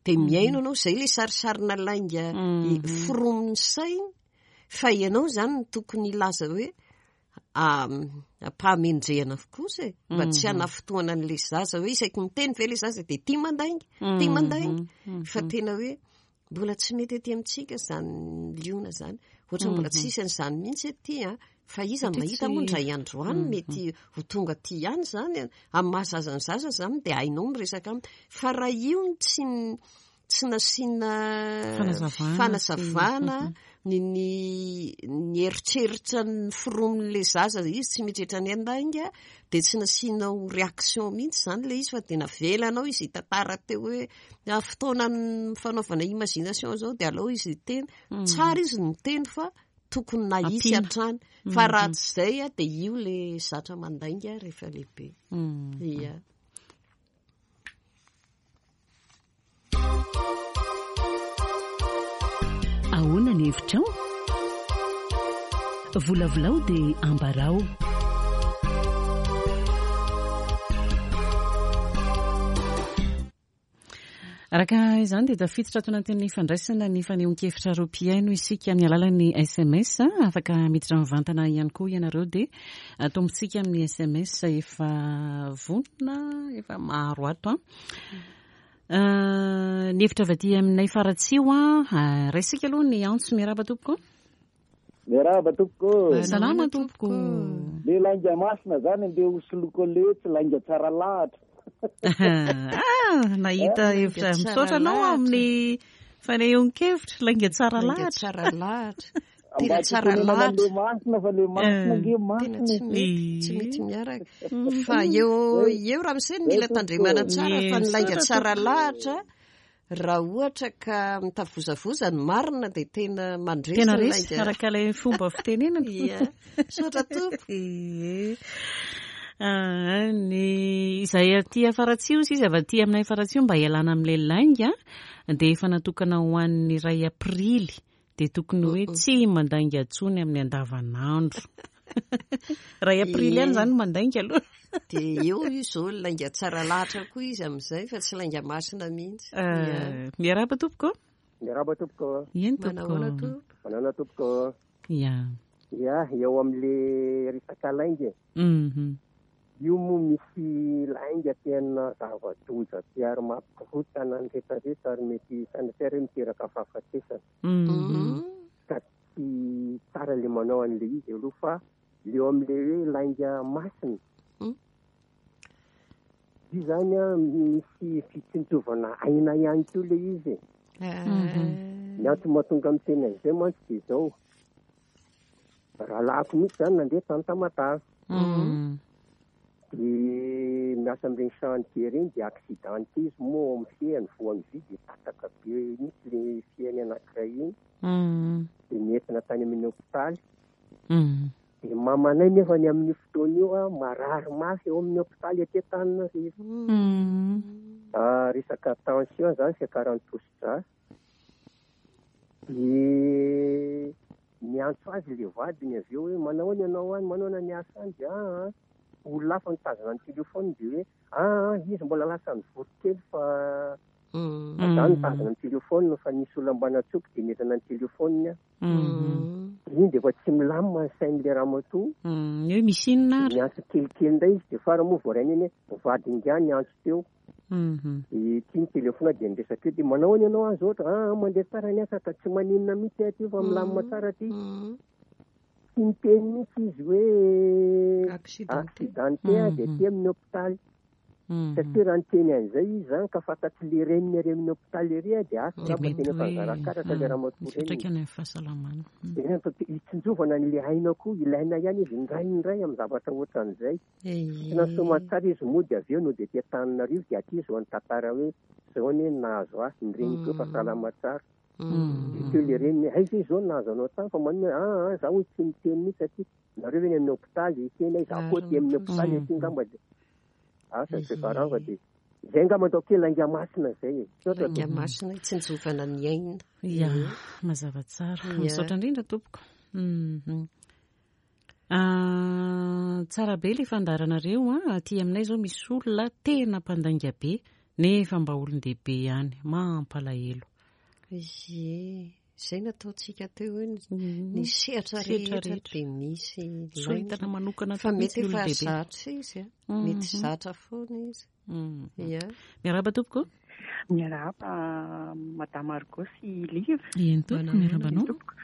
Dia mihaino ianao, izay ilay sarisarina lainga foromin'ny saina, fa ianao izany no tokony hilaza hoe ampahamendrehana kosa e, mba tsy hanafotoana an'ilay zaza hoe isaky miteny ve ilay zaza dia tia mandainga, tia mandainga. Fa tena hoe mbola tsy mety aty amintsika izany liona izany, ohatra mbola tsy hisy an'izany mihitsy aty, a, fa iza no mahita moa indray andro any mety ho tonga aty ihany izany, a. Amin'ny mahazaza ny zaza izany dia hainao miresaka aminy. Fa raha io no tsy n-, tsy nasiana Fanazavana. fanazavana, ny, ny, ny eritreritra ny foromin'ilay zaza izy tsy mieritreritra ny handainga, dia tsy nasianao réaction mihitsy izany ilay izy, fa dia navelanao izy hitantara teo hoe na fotoana ny fanaovana imagination izao dia aleo izy hiteny. Tsara izy ny miteny fa tokony nahitsy Ampiana. hatrany. Fa raha tsy izay, a, dia io ilay zatra mandainga rehefa lehibe. Ia. Ahoana ny hevitrao? Volavolao dia ambarao. Araka izany dia tafiditra ato anatin'ny fandraisana ny fanehoan-kevitra ireo mpihaino isika amin'ny alalan'ny S M S. Afaka miditra mivantana ihany koa ianareo dia atombontsika amin'ny S M S efa vonona, efa maro ato. Ny hevitra avy aty aminay Faratsiho, raisika aloha ny antso. Miarahaba tompoko. Miarahaba tompoko. Salama tompoko. Le lainga masina zany andeha ho soloko le tsy lainga tsara lahatra. Ah, nahita hevitra. Misaotra anao amin'ny fanehoan-kevitra. Lainga tsara lahatra. Tsara lahatra. Tena tsara lahatra. Le masina fa le masina nge masina. Tena tsy mety, tsy mety miaraka. Fa eo eo raha misy mila tandremana tsara fa ny lainga tsara lahatra raha ohatra ka mitavozavoza ny marina dia tena mandresy tena resy araka ilay fomba fitenenana. Ia. Misaotra tompoko. Ny izay aty Faratsiho izy avy aty aminay Faratsiho mba hialana amin'ilay lainga dia efa natokana ho an'ny iray aprily dia tokony hoe tsy mandainga intsony amin'ny andavanandro. Iray aprily ihany izany mandainga aloha. Dia eo izy izao lainga tsara lahatra koa izy amin'izay fa tsy lainga masina mihitsy. Miarahaba tompoko. Miarahaba tompoko. Eny tompoko. Manahoana tompoko? Manahoana tompoko. Ia. Ia, eo amin'le resaka lainga. Mhm. Io moa misy lainga tena zava-doza be ary mampikorontana ny rehetrarehetra ary mety sanatria hoe miteraka fahafatesana. Mhm. Ka tsy tsara le manao an'le izy aloha fa le eo amin'le hoe lainga masina. Io zany a misy fitsinjovana aina ihany koa le izy. Ny antony mahatonga amin'ny tena izay mantsy dia izao. Rahalahiko mihitsy zany nandeha tany Tamatave. Dia miasa amin'ireny chantier ireny dia accidenté izy moa amin'ny fehiny voan'ny vy dia tataka be mihitsy le fehiny anankiray iny. Dia nentina tany amin'ny hôpitaly. Dia mamanay nefa ny amin'io fotoana io a marary mafy eo amin'ny hôpitaly aty Antananarivo. Resaka tension zany fiakaran'ny tosidra. Dia niantso azy le vadiny avy eo hoe manao ahoana ianao any, manao ahoana ny asa any? Dia ah, olona hafa nitazona ny telefôny dia hoe ah, izy mbola lasa nivory kely fa za nitazona ny telefôny fa nisy olona mba natsoky dia nentina ny telefôny. Iny dia efa tsy milamina ny sain'ilay ramatoa. Hoe misy inona ary? Niantso kelikely indray izy dia farany moa voarainy iny hoe vadiny ihany niantso teo. Dia ity ny telefôna dia niresaka eo dia manao ahoana ianao any zao? Ah, mandeha tsara ny asa ka tsy maninona mihitsy aty fa milamina tsara aty. Tsy niteny mihitsy izy hoe accidenté dia aty amin'ny hôpitaly. Satria raha niteny an'izay izy zany ka fantatry le reniny ary amin'ny hôpitaly ery dia asa angamba tena efa nizarakaraka le ramatoa reniny. Mipetraka any amin'ny fahasalamana. Dia hitsinjovana an'ilay aina koa ilaina ihany izy indraindray amin'ny zavatra ohatran'izay. Tsy nasomatsara izy moa dia avy eo no dia aty Antananarivo dia aty izy ho nitantara hoe izao anie no nahazo ahy, ny reniko efa salama tsara. Dia teo le reniny hoe aiza izy izao no nahazo anao tany fa maninona hoe ah, ah, zaho hoy tsy niteny mihitsy aty. Nareo ve any amin'ny hôpitaly? Tena izaho koa aty amin'ny hôpitaly aty angamba dia asa tsy farava dia izay angamba ataoko hoe lainga masina izay e. Misaotra Lainga tompoko. masina hitsinjovana ny aina. Ia, mazava tsara. Misaotra indrindra tompoko. Tsara be ilay fandaharanareo a. Aty aminay izao misy olona tena mpandainga be nefa mba olon-dehibe ihany. Mampalahelo. Ie, izay nataontsika teo hoe ny sehatra Sehatra rehetra rehetra. dia misy lainga. Soritana manokana Fa mety mihitsy efa olon-dehibe. zatra izy a. Mety zatra foana izy. Ia. Miarahaba tompoko. Miarahaba Madame Margot sy Liva. Eny tompoko, miarahaba anao. Tompoko.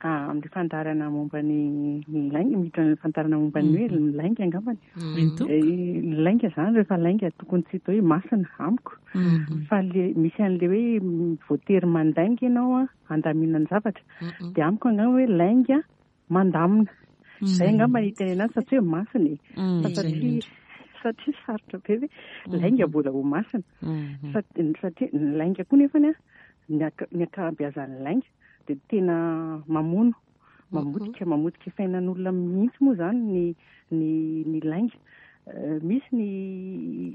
Amin'ny fandaharana momba ny lainga, miditra amin'ny fandaharana momba ny hoe ny lainga angambany. Eny tompoko. Ny lainga zany rehefa lainga tokony tsy atao hoe masina amiko. Fa le misy an'le hoe voatery mandainga ianao a handamina ny zavatra. Dia amiko angamba hoe lainga mandamina. Izay angamba ny teny anazy satria hoe masina e. Fa satria satria sarotra be hoe lainga mbola ho masina. Satria ny lainga koa nefany a, ny anka-, ny ankabeazan'ny lainga dia tena mamono, mamotika, mamotika fiainan'olona mihitsy moa zany ny, ny, ny lainga. Misy ny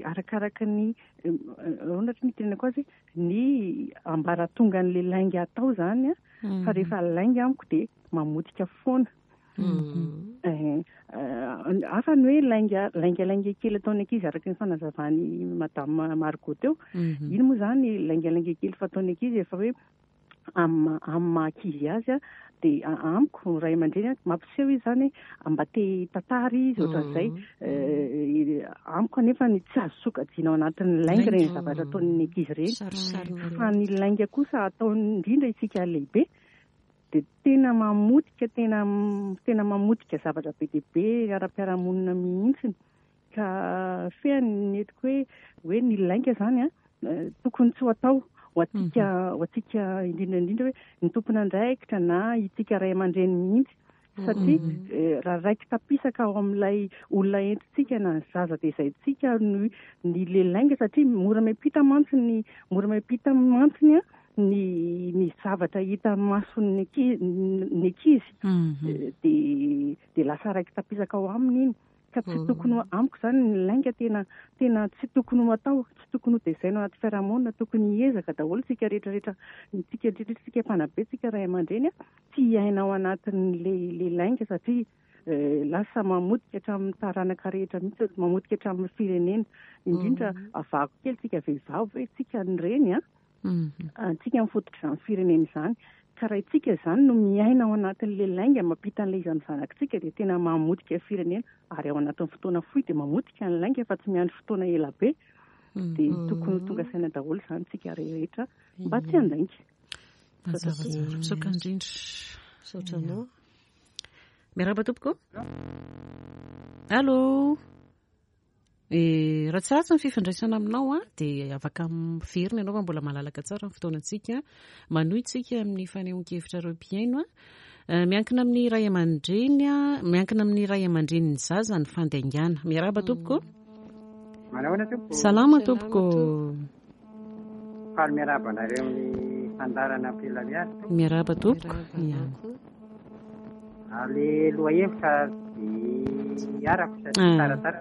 arakaraka ny, ahoana ny tenenako azy, ny ambaratongan'ilay lainga atao zany a, fa rehefa lainga amiko dia mamotika foana. Hafa ny hoe lainga laingalainga kely ataon'ny ankizy araka ny fanazavany Madame Margot teo. Iny moa zany laingalainga kely fataon'ny ankizy efa hoe amin'ny amin'ny maha ankizy azy a, dia amiko ray aman-dreny mampiseho izy zany mba te tantara izy ohatran'izay. Amiko anefa ny tsy azo sokajiana ao anatin'ny lainga ireny zavatra ataon'ny ankizy ireny, fa ny lainga kosa ataony indrindra isika lehibe dia tena mamotika, tena tena mamotika zavatra be dia be ara-piarahamonina mihitsy. Ka fehiny entiko hoe hoe ny lainga zany a tokony tsy ho atao ho antsika, ho antsika indrindra indrindra hoe ny tompon'andraikitra na itsika ray aman-dreny mihitsy, satria raha raiki-tapisaka ao amin'ilay olona entintsika na ny zaza tezaintsika ny ny le lainga, satria mora miampita mantsy ny mora miampita mantsy ny a ny ny zavatra hita mason'ny ankizy ny ankizy dia dia lasa raiki-tapisaka ao aminy iny. Ka tsy tokony ho amiko zany ny lainga tena tena tsy tokony ho atao, tsy tokony ho tezaina ao anaty fiarahamonina, tokony hiezaka daholo tsika rehetrarehetra, tsika indrindra tsika mpanabe, tsika ray aman-dreny a, tsy hiaina ao anatin'le le lainga, satria lasa mamotika hatramin'ny taranaka rehetra mihitsy, mamotika hatramin'ny firenena. Indrindra avahako kely tsika vehivavy hoe tsika ny reny a, tsika mifototra izany firenena izany. Ka raha itsika izany no miaina ao anatin'le lainga mampita an'ilay izy amin'ny zanakitsika dia tena mamotika firenena, ary ao anatin'ny fotoana fohy dia mamotika ny lainga fa tsy miandry fotoana ela be. Dia tokony ho tonga saina daholo izany tsika rehetra mba tsy handainga. Mazava tsara, misaotra indrindra. Misaotra anao. Miarahaba tompoko. Allô. Eh, raha tsy ratsy ny fifandraisana aminao a, dia afaka miverina ianao fa mbola malalaka tsara ny fotoanantsika. Manohy tsika amin'ny fanehoan-kevitra ireo mpihaino a. Miankina amin'ny ray aman-dreny a, miankina amin'ny ray aman-drenin'ny zaza ny fandaingana. Miarahaba tompoko. Manahoana tompoko? Salama tompoko. Faly miarahaba anareo amin'ny fandaharana Ampilamiady. Miarahaba tompoko. Le lohahevitra dia arako satria tsaratsara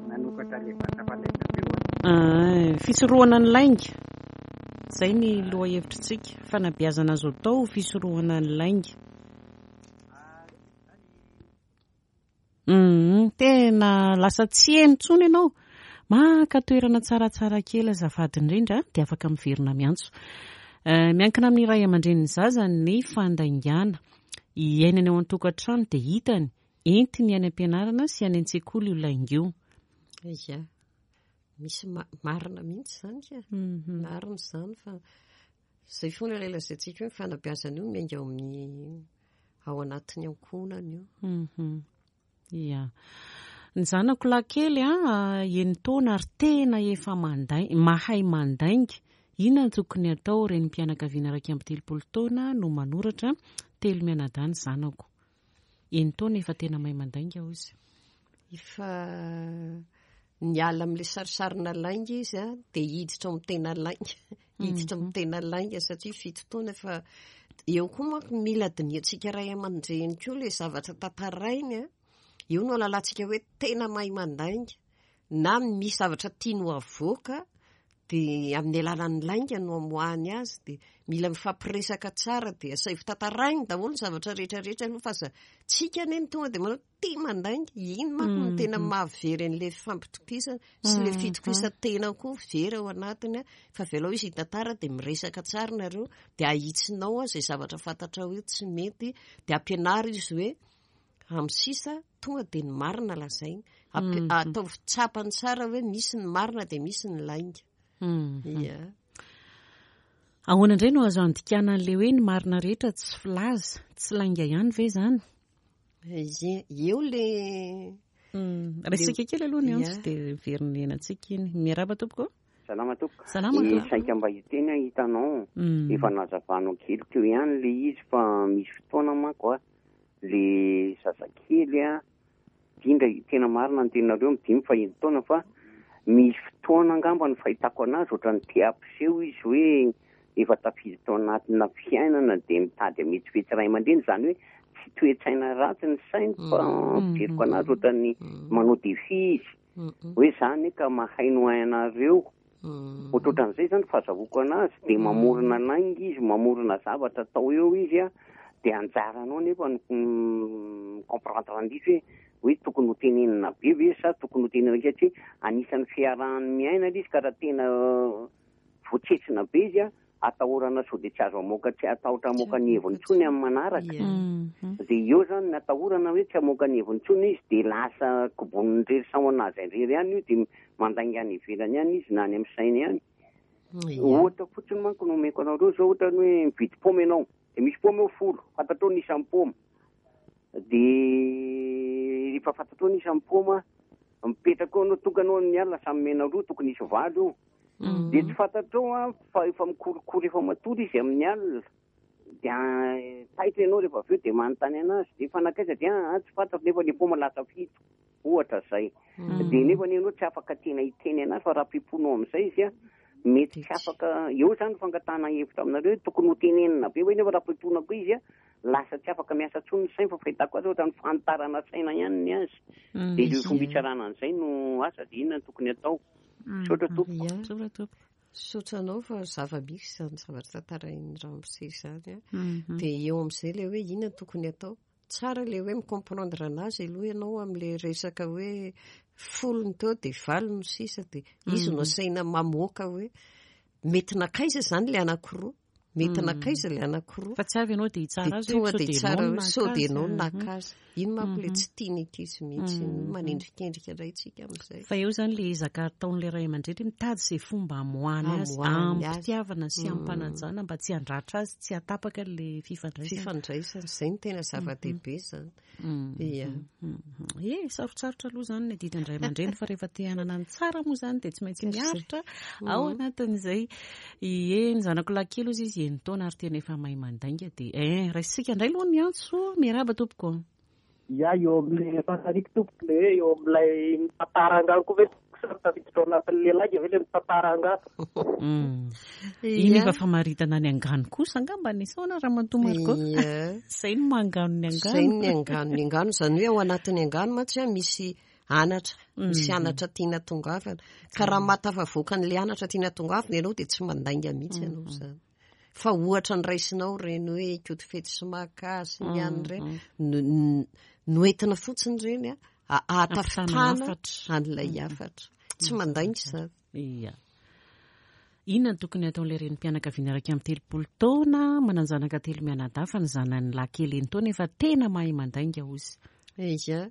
nanokatra le vata fandraisana teo. Fisorohana ny lainga. Izay ny lohahevitritsika, fanabeazana azo atao fisorohana ny lainga. Mm, tena lasa tsy heno intsony ianao. Maka toerana tsaratsara kely azafady indrindra dia afaka miverina miantso. Miankina amin'ny ray aman-drenin'ny zaza ny fandaingana. Iainany ao an-tokantrano dia hitany, entiny any am-pianarana sy any an-tsekoly io lainga io. Ia, misy marina mihitsy izany ka. Marina izany fa izay foana ilay lazaintsika hoe ny fanabeazana io miainga ao amin'ny ao anatin'ny ankohonana io. Ia. Ny zanako lahy kely a, enin-taona ary tena efa mandainga, mahay mandainga. Inona no tokony atao? Renim-pianakaviana iraika amby telopolo taona no manoratra, telo mianadahy ny zanako. Enin-taona efa tena mahay mandainga hoy izy. Efa niala amin'ilay sarisarina lainga izy a, dia hiditra amin'ny tena lainga. Hiditra amin'ny tena lainga satria fito taona efa eo koa manko mila dinihantsika ray aman-dreny koa ilay zavatra tantarainy a. Eo no ahalalantsika hoe tena mahay mandainga na misy zavatra tiany ho avoaka dia amin'ny alalan'ny lainga no amoahany azy. Dia mila mifampiresaka tsara dia asaivo tantarainy daholo ny zavatra rehetrarehetra aloha fa aza tsika anie no tonga dia manao tia mandainga. Iny manko no tena mahavery an'ilay fampitokisana sy ilay fitokisan-tena koa very ao anatiny a. Fa avelao izy hitantara dia miresaka tsara nareo dia ahitsinao a izay zavatra fantatrao hoe tsy mety dia ampianaro izy hoe amin'ny sisa tonga dia ny marina lazainy. Ataovy tsapany tsara hoe misy ny marina dia misy ny lainga. Ia. Ahoana indray no azo andikana an'ilay hoe ny marina rehetra tsy filaza, tsy lainga ihany ve izany? Ie, eo le Resaka kely aloha ny antso dia miverina iainantsika iny. Miarahaba tompoko. Salama tompoko. Salama tompoko. Saika mba hiteny aho hitanao, efa nazavanao kely teo ihany le izy fa misy fotoana manko a, le zazakely a, indrindra tena marina ny teninareo midimy fa eny taona fa misy fotoana angamba ny fahitako anazy ohatran'ny te hampiseho izy hoe efa tafiditra ao anatina fiainana dia mitady hametsifetsy ray aman-dreny, izany hoe tsy toe-tsaina ratsy ny sainy fa fijeriko anazy ohatran'ny manao défi izy hoe zany ka mahay no hainareo. Ohatrohatran'izay zany fahazahoako anazy dia mamorona lainga izy, mamorona zavatra atao eo izy a, Dia anjaranao nefa no comprendre an'ilay izy hoe hoe tokony ho tenenina be ve sa tokony ho tenenina kely, satria anisan'ny fiarahany miaina ilay izy, ka raha tena voatsetsina be izy a, atahorana sao dia tsy azo amoaka, tsy atahotra amoaka ny heviny intsony amin'ny manaraka. Dia eo zany ny atahorana hoe tsy amoaka ny heviny intsony izy, dia lasa koboniny irery samy anazy irery ihany io, dia mandainga any ivelany ihany izy na any amin'ny sainy ihany. Ohatra fotsiny manko no omeko anareo zao, ohatra ny hoe mividy paoma ianao, dia misy paoma eo folo, fantatrao ny isan'ny paoma, dia rehefa fantatrao ny isan'ny paoma, mipetraka eo anao, tonga anao amin'ny alina, samy mena roa, tokony hisy valo eo. Dia tsy fantatrao a, fa efa mikorokoro efa matory izy amin'ny alina, dia taitra ianao rehefa avy eo, dia manontany anazy, dia efa nankaiza, dia ah, tsy fantatro, nefa ny paoma lasa fito, ohatra zay. Dia nefa ianao tsy afaka tena hiteny anazy, fa raha pimponao amin'izay izy a, mety tsy afaka. Eo zany fangatahana hevitra aminareo, tokony ho tenenina be hoe, nefa raha pimponako koa izy a, lasa tsy afaka miasa intsony ny sainy, fa fahitako azy ohatra ny fanitarana saina ihany ny azy. Dia ireo fomba hitsarana an'izay no asa, dia inona no tokony atao? Misaotra tompoko. Misaotra tompoko. Misaotra anao, fa zava-misy izany zavatra tantarain'ny ramose izany a. Dia eo amin'izay ilay hoe inona no tokony atao? Tsara ilay hoe mi-comprendre anazy aloha ianao amin'ilay resaka hoe folo ny teo dia valo no sisa, dia izy no asaina mamoaka hoe mety nankaiza izany ilay anankiroa, mety nankaiza ilay anankiroa. Fa tsy avy ianao dia hitsara azy Dia hoe tonga dia sao dia hitsara ianao hoe sao dia ianao naka azy. naka azy. Iny manko ilay tsy tiany ankizy mihitsy, manendrikendrika indray tsika amin'izay. Fa eo izany ilay ezaka ataon'ilay ray aman-dreny mitady izay fomba amoahany azy, Amoahany azy. am-pitiavana sy am-panajana mba tsy handratra azy, tsy hatapaka ilay fifandraisana. Fifandraisana, izay no tena zava-dehibe izany. Ia. E, sarotsarotra aloha izany ny adidin'ny ray aman-dreny, fa rehefa te hanana ny tsara moa izany dia tsy maintsy miaritra ao anatin'izay. Ie, ny zanako lahy kely ozy izy enin-taona ary tena efa mahay mandainga, dia eh, raisitsika indray aloha ny antso. Miarahaba tompoko. Ia, eo amin'ilay fantariko tompoko, le hoe eo amin'ilay mitantara angano koa ve sa tafiditra ao anatin'ilay lainga ve ilay mitantara angano? Iny efa famaritana ny angano kosa angamba ny saona Ramatoa Marco. Ia. Izay no mangano ny angano. Izay ny angano, ny angano izany hoe ao anatin'ny angano mantsy a misy anatra, misy anatra tiana tongavana. Ka raha mahatafavoaka an'ilay anatra tiana tongavana ianao dia tsy mandainga mihitsy ianao izany. Fa ohatra ny raisinao ireny hoe Ikotofetsy sy Maka sy ny any ireny, no, no entina fotsiny ireny a, ahatafitana hafatra. an'ilay hafatra. Tsy mandainga izany. Ia. Inona no tokony ataon'ilay renim-pianakaviana iraika amby telopolo taona, manan-janaka telo mianadahy, fa ny zanany lahy kely enin-taona efa tena mahay mandainga ozy? Ia,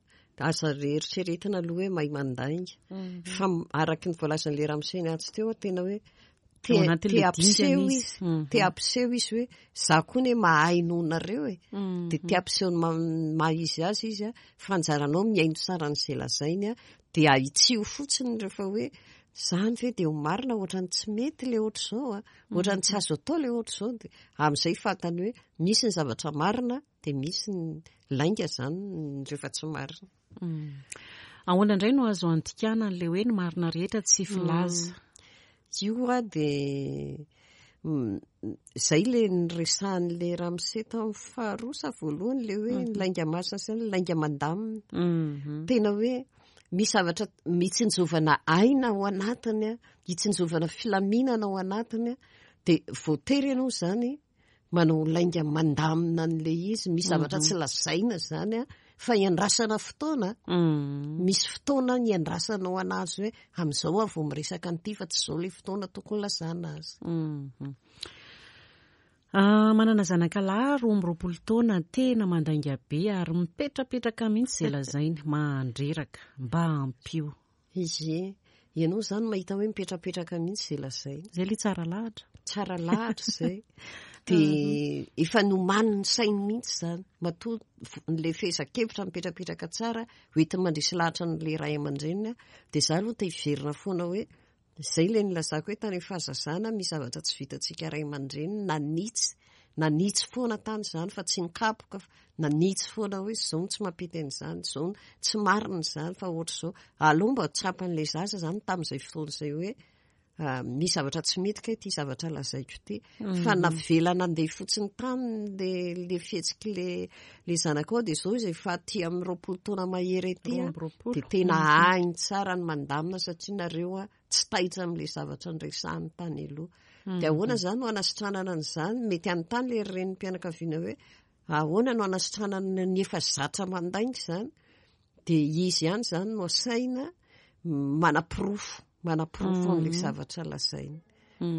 aza eritreretina aloha hoe mahay mandainga. Fa araky ny voalazan'ilay ramose niantso teo, tena hoe te, Ao anatin'ilay te hampiseho dingana izy. izy. Mhm. Te hampiseho izy hoe za koa ne mahay noho nareo e. Dia te hampiseho ny ma- maha izy azy izy a, fa anjaranao mihaino tsara an'izay lazainy a, dia ahitsio fotsiny rehefa hoe zany ve dia ho marina, ohatran'ny tsy mety ilay ohatr'izao a, ohatran'ny tsy azo atao ilay ohatr'izao, dia amin'izay fantany hoe misy ny zavatra marina dia misy ny lainga zany rehefa tsy marina. Ahoana indray no azo antikana an'ilay hoe ny marina rehetra tsy filaza? Io a dia mm, zay le niresahan'le ramose tamin'ny faharoa sa voalohany, le hoe ny lainga masina sy ny lainga mandamina. Tena hoe misy zavatra mitsinjovana aina ao anatiny a, hitsinjovana filaminana ao anatiny a, dia voatery ianao zany manao lainga mandamina an'ilay izy. Misy zavatra tsy lazaina zany a, fa iandrasana fotoana. Misy fotoana iandrasanao anazy hoe amin'izao aho vao miresaka an'ity, fa tsy izao ilay fotoana tokony lazana azy. Ah, manana zanaka lahy roa amby roapolo taona, tena mandainga be ary mipetrapetraka mihitsy izay lazainy, mandreraka, mba ampio. Izy, ianao zany mahita hoe mipetrapetraka mihitsy izay lazainy. Izay ilay tsara lahatra. Tsara lahatra izay. Dia efa nomaniny sainy mihitsy zany. Matoa n'ilay fehezan-kevitra mipetrapetraka tsara, hoentiny mandresy lahatra an'ilay ray aman-dreniny. Dia za aloha te hiverina foana hoe izay ilay nilazako hoe tany amin'ny fahazazana misy zavatra tsy vitantsika ray aman-dreny, nanitsy, nanitsy foana tany izany fa tsy nikapoka, fa nanitsy foana hoe izao no tsy mampety an'izany, izao no tsy marina izany fa ohatr'izao. Aleo mba tsapan'ilay zaza izany tamin'izay fotoana izay hoe misy zavatra tsy mety kay ity zavatra lazaiko ity. Fa navela nandeha fotsiny tany le, le fihetsiky le, le zanakao, dia izao izy efa aty amin'ny roapolo taona mahery aty a, dia tena hainy tsara ny mandamina satria nareo a tsy taitra amin'ilay zavatra noresahiny tany aloha. Dia ahoana izany no hanasitranana an'izany? Mety hanontany ilay renim-pianakaviana hoe Ahoana no anasitranana ny efa zatra mandainga izany? Dia izy ihany izany no asaina manaporofo, manaporofo an'ilay zavatra lazainy.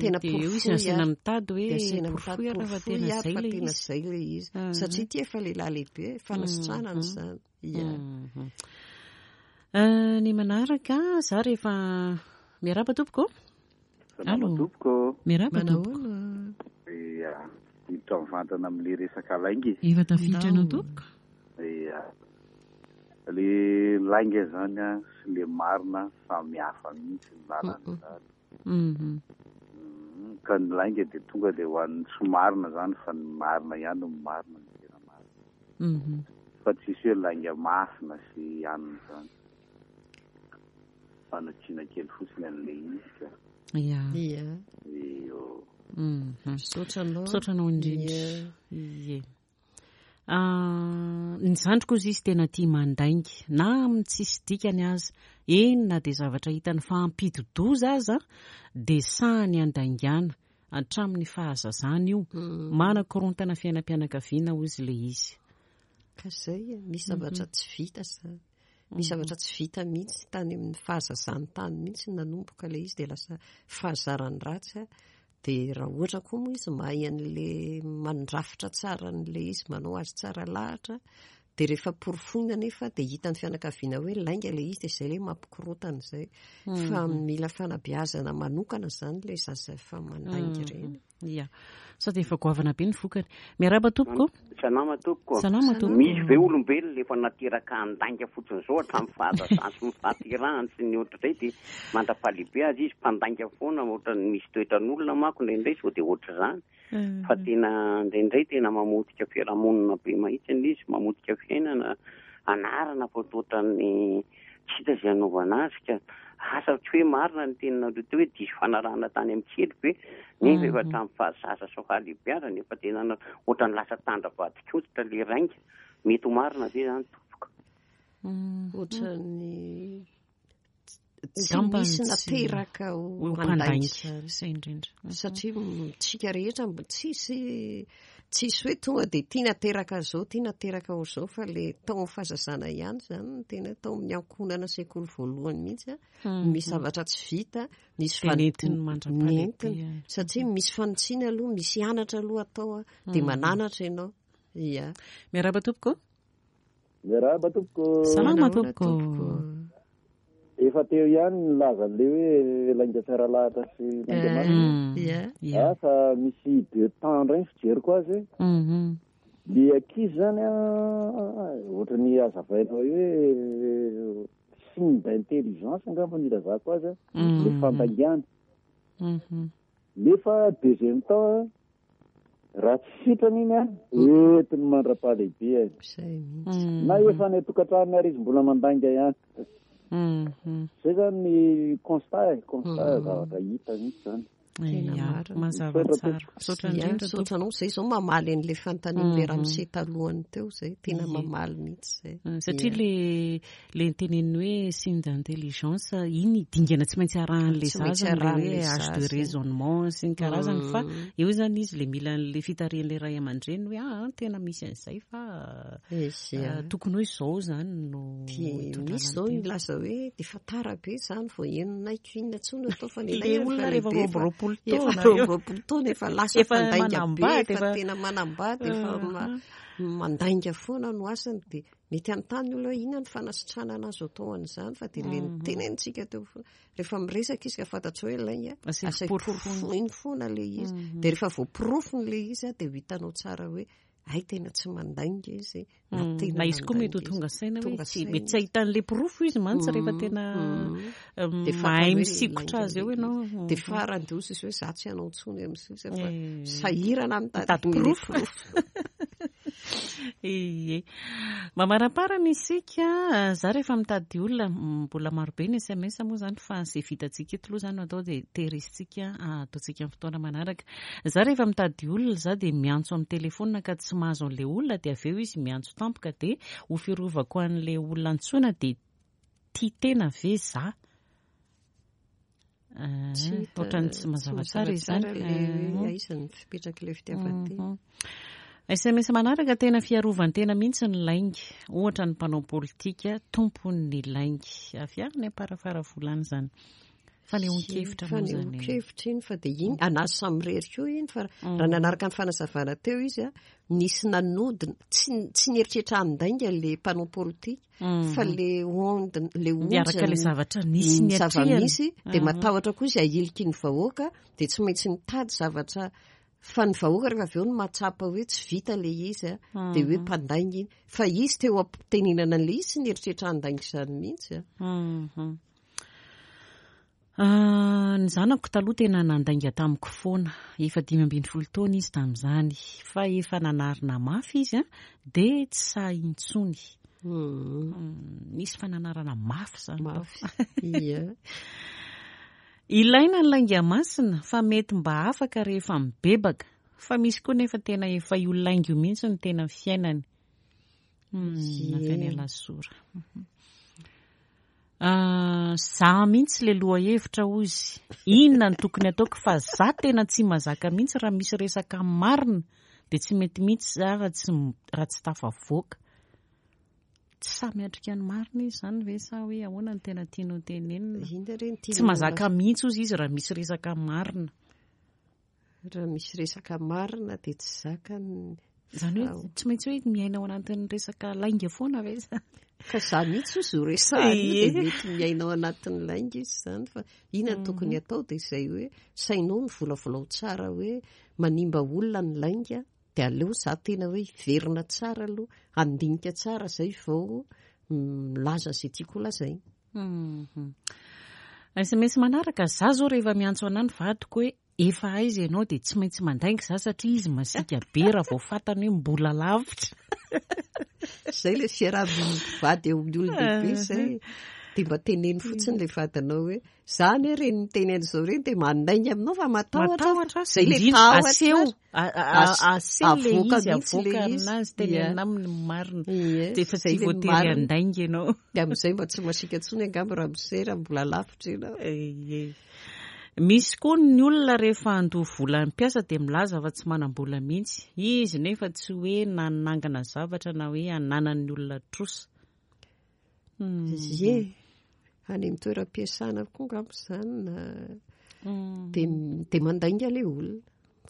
Tena Dia eo izy porofoy asaina ary. mitady hoe Dia asaina mitady porofoy ary fa porofoy tena ary izay fa ilay tena izy. izay ilay izy. Satria ity efa lehilahy lehibe, fanasitranana izany. Ia. Mhm. Eh, ny manaraka, za rehefa miarahaba tompoko. Salama Allô. tompoko. Miarahaba tompoko. Manahoana? Ia, hiditra mivantana amin'ilay resaka lainga e. Efa tafiditra anao Ndao. tompoko. Ia. Le lainga zany a sy le marina samy hafa mihitsy ny lalana zany. Mhm. Mm, Ka ny lainga dia tonga dia ho an'ny tsy marina zany fa ny marina ihany no marina ny tena marina. Mhm. Fa tsisy hoe lainga masina sy anona zany. Fanatsiana kely fotsiny an'ilay izy ka. Ia. Ia. Io. Mhm. Misaotra anao. Misaotra anao indrindra. Ia. Ie. Ah, ny zandriko izy izy tena tia mandainga na amin'ny tsisy dikany aza, eny na dia zavatra hitany fa hampidi-doza aza dia sahany andaingana hatramin'ny fahazazana io. Manakorontana fiainam-pianakaviana hoy izy ilay izy. Ka izay, misy zavatra tsy vita izany. Misy zavatra tsy vita mihitsy tany amin'ny fahazazany tany mihitsy nanomboka ilay izy dia lasa fahazarany ratsy a. Dia raha ohatra koa moa izy mahay an'ilay mandrafitra tsara an'ilay izy, manao azy tsara lahatra, dia rehefa porofoina nefa dia hitan'ny fianakaviana hoe lainga ilay izy dia izay ilay mampikorontana izay. Fa mila fanabeazana manokana izany ilay zaza efa mandainga ireny. Ia. Sady efa goavana be ny vokany. Miarahaba tompoko. Salama tompoko. Salama tompoko. Misy ve olombelona efa nateraka handainga fotsiny izao hatramin'ny fahazazany sy ny fahaterahany sy ny ohatr'izay dia mandra-pahalehibe azy izy mpandainga foana, ohatran'ny misy toetran'olona manko indraindray sao dia ohatr'izany. Fa tena indraindray tena mamotika fiarahamonina be mahitsy ilay izy, mamotika fiainana, anarana fa ohatran'ny tsy hita izay hanaovana azy ka. Asa tsy hoe marina ny teninareo teo hoe diso fanarahana tany amin'ny kely be, nefa efa hatramin'ny fahazaza sy fahalehibeazana efa tena na-, ohatran'ny lasa tandra vadin-koditra ilay rainga. Mety ho marina ve izany tompoko? Ohatran'ny tsy Angamba misy tsy nateraka ho ho mpandainga mpandainga. izany. Izay indrindra. Satria tsika rehetra mbo tsisy, tsisy hoe tonga dia tia nateraka zao, tia nateraka ho zao, fa le tao amin'ny fahazazana ihany izany no tena tao amin'ny ankohonana sekoly voalohany mihitsy a. Misy zavatra tsy vita, misy Dia fan- nentiny mandra-pahalehibe. nentiny. Satria misy fanitsiana aloha, misy anatra aloha atao a, dia mananatra ianao. Ia. Miarahaba tompoko. Miarahaba tompoko. Salama Manahoana tompoko. tompoko? Efa teo ihany ny laza an'ilay hoe lainga tsara lahatra sy lainga marina. Mm. Ia. Ia. Ah, fa misy deux temps indray ny fijeriko azy. Mhm. Le ankizy zany a, ohatran'ny hazavainao hoe signe d'intelligence angamba ny ilazako azy a, le fandaingana. Mhm. Nefa deuxième temps a, raha tsy sitrana iny a, entiny mandra-pahalehibe. Izay mihitsy. Na efa any an-tokantrano ary izy mbola mandainga ihany. Mhm. Zay zany ny constat e, constat zavatra hita mihitsy zany. Tena Ia, marina. mazava Misaotra tsara. tompoko. Misaotra Ia, indrindra misaotra tompoko. anao. Izay izao mamaly an'ilay fanontanian'ilay ramose talohany teo izay, tena mamaly mihitsy izay. Mm, Satria Ia. le le niteneniny hoe signe d'intelligence iny dingana tsy maintsy arahan'ilay Tsy maintsy zaza, le hoe arahan'ilay âge de zaza. raisonnement sy ny karazany, fa eo izany izy le mila an'le fitarihan'ilay ray aman-dreny hoe ah, tena misy an'izay fa Izy, ia. ah, tokony hoe izao izany no Dia hitondrana misy izao ny tena. nilaza hoe dia efa tara be izany vao henonay ko inona intsony atao fa ny Le anay olona efa rehefa lehibe roa amby roapolo efa taona roa eo. amby roapolo taona efa lasa Efa mpandainga be, manambady, efa efa- tena manambady, efa ma- mandainga foana no asany. Dia mety hanontany ny olona hoe inona ny fanasitranana azo atao an'izany, fa dia le nitenenitsika teo foana. Rehefa miresaka izy ka fantatrao hoe lainga, Asiako asaivo porofoina. porofoiny foana ilay izy. Dia rehefa voaporofony ilay izy a, dia ho hitanao tsara hoe ay tena tsy mandainga izy, na Mm. tena Na izy koa mety ho mandainga tonga izy. saina hoe Tonga tsy saina mety tsy izy. ahitan'ilay porofo izy mantsy rehefa tena Mm. Dia mahay fantany hoe misikotra lainga azy eo ilay ianao. izy. Dia farany dia hoy izy hoe za tsy hanao intsony amin'ny sisa fa Eh. sahirana mitady Mitady ny porofo. porofo. Ie. Mamaraparana isika, za rehefa mitady olona, mbola marobe ny S M S moa zany fa izay vitantsika eto aloha zany no atao dia tehirizitsika, ataontsika amin'ny fotoana manaraka. Za rehefa mitady olona, za dia miantso amin'ny telefona ka tsy mahazo an'ilay olona, dia avy eo izy miantso tampoka dia ho firovako an'ilay olona antsoina dia tia tena ve za? Ah, Tsy hita, ohatran'ny tsy tsy mazava mazava tsara izany. tsara ilay hoe Ah. aiza ny fipetrak'ilay fitiavan-tena. Mhm. S M S manaraka, tena fiarovan-tena mihitsy ny lainga. Ohatra ny mpanao politika tompon'ny lainga. Avy any am-parafara volana izany. Fanehoan-kevitra moa izany. Fanehoan-kevitra iny fa dia iny anazy samirery koa iny fa raha nanaraka ny fanazavana teo izy a, nisy nanodina, tsy tsy nieritreritra handainga le mpanao politika fa le onde, le onja miaraka le zavatra nisy ny zava-misy dia matahotra koa izy ahiliky ny vahoaka dia tsy maintsy nitady zavatra fa ny vahoaka rehefa avy eo no mahatsapa hoe tsy vita le izy a, dia hoe mpandainga iny fa izy teo am-pitenenana an'le izy tsy nieritreritra handainga izany mihitsy a. Ny zanako taloha tena nandainga tamiko foana, efa dimy ambin'ny folo taona izy tamin'izany, fa efa nanarina mafy izy a, dia tsy sahy intsony. Nisy fananarana mafy izany. Mafy, ia. Ilaina ny lainga masina fa mety mba afaka rehefa mibebaka, fa misy koa nefa tena efa io lainga io mihitsy no tena fiainany. Avy any Alasora. Za mihitsy le loha hevitra hozy. Inona no tokony ataoko fa za tena tsy mazaka mihitsy raha misy resaka marina dia tsy mety mihitsy za raha tsy raha tsy tafavoaka. Tsy samy miatrika ny marina izy izany ve sa hoe ahoana no tena tianao tenenina? Tsy mazaka mihitsy hozy izy raha misy resaka marina. Raha misy resaka marina dia tsy zakany. Izany hoe tsy maintsy hoe miaina ao anatin'ny resaka lainga foana ve izany? Fa za mihitsy hozy ho resahana io dia mety miaina ao anatin'ny lainga izy izany fa inona no tokony atao dia izay hoe sainao ny volavolao tsara hoe manimba olona ny lainga dia aleo za tena hoe hiverina tsara aloha handinika tsara izay vao milaza izay tiako lazaina. S M S manaraka, za zao rehefa miantso anahy ny vadiko hoe efa aiza ianao dia tsy maintsy mandainga za satria izy masiaka be raha vao fantany hoe mbola lavitra. Izay le fiaraha-mivady eo amin'ny olon-dehibe izay. Dia mba teneno fotsiny le vadinao hoe za anie reny miteny an'izao reny dia mandainga aminao fa matahotra. Izay le tahotra. Aseho, aseho le izy, avoaka aminazy, tenenina aminy marina. Dia efa tsy voatery handainga ianao. Dia amin'izay mba tsy masiaka intsony angamba raha misera mbola lavitra ianao. Misy koa ny olona rehefa handoa vola ny mpiasa dia milaza fa tsy manam-bola mihitsy. Izy nefa tsy hoe nanangana zavatra na hoe ananan'ny olona trosa. Ie, any amin'ny toeram-piasana koa angamba izany na dia dia mandainga ilay olona.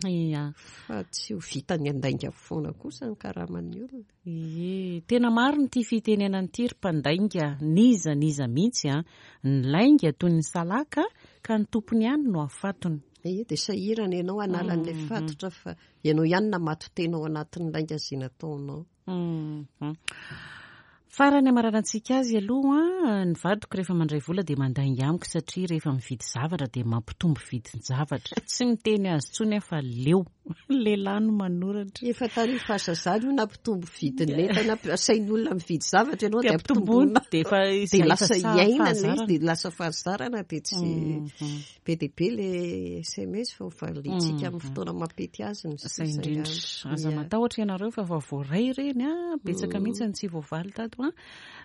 Ia. Fa tsy ho vitany handainga foana kosa ny karaman'ny olona. Ie, tena marina ity fitenenana ity ry mpandainga, n'iza n'iza mihitsy a, ny lainga toy ny salaka ka ny tompony ihany no afatony. Ie, dia sahirana ianao hanala an'ilay fatotra fa ianao ihany namato-tena ao anatin'ny lainga izay nataonao. Farany amaranantsika azy aloha, ny vadiko rehefa mandray vola dia mandainga amiko satria rehefa mividy zavatra dia mampitombo vidin-javatra. Tsy miteny azy intsony aho fa leo. Lehilahy no manoratra. Efa tany fahazazana io nampitombo vidin'entana, asain'ny olona mividy zavatra ianao dia ampitomboina. Dia efa dia lasa iainana izy, dia lasa fahazarana dia tsy be dia be le S M S fa valiantsika amin'ny fotoana mampety azy ny sisa. Indrindra. Aza matahotra ianareo fa efa voaray ireny a, betsaka mihitsy ny tsy voavaly tato a.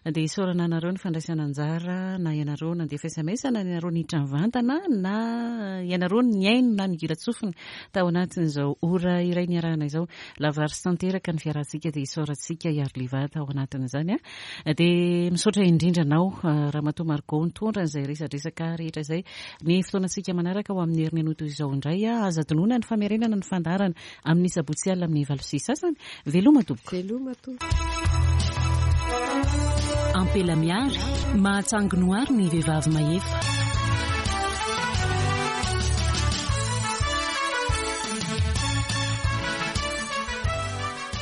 Dia isaorana anareo ny fandraisana anjara, na ianareo nandefa S M S, na ianareo niditra mivantana, na ianareo nihaino na nigira-tsofina tao anatin'izao ora iray niarahana izao. Lavorary sy tanteraka ny fiarahantsika dia isaorantsika Iariliva tao anatin'izany a. Dia misaotra indrindra anao Ramatoa Margot nitondra an'izay resadresaka rehetra izay. Ny fotoanantsika manaraka ho amin'ny herinandro toy izao indray a, aza adinoina ny famerenana ny fandaharana amin'ny sabotsy alina amin'ny valo sy sasany. Veloma tompoko. Veloma tompoko. Ampela miary, mahatsanginoary ny vehivavy mahefa.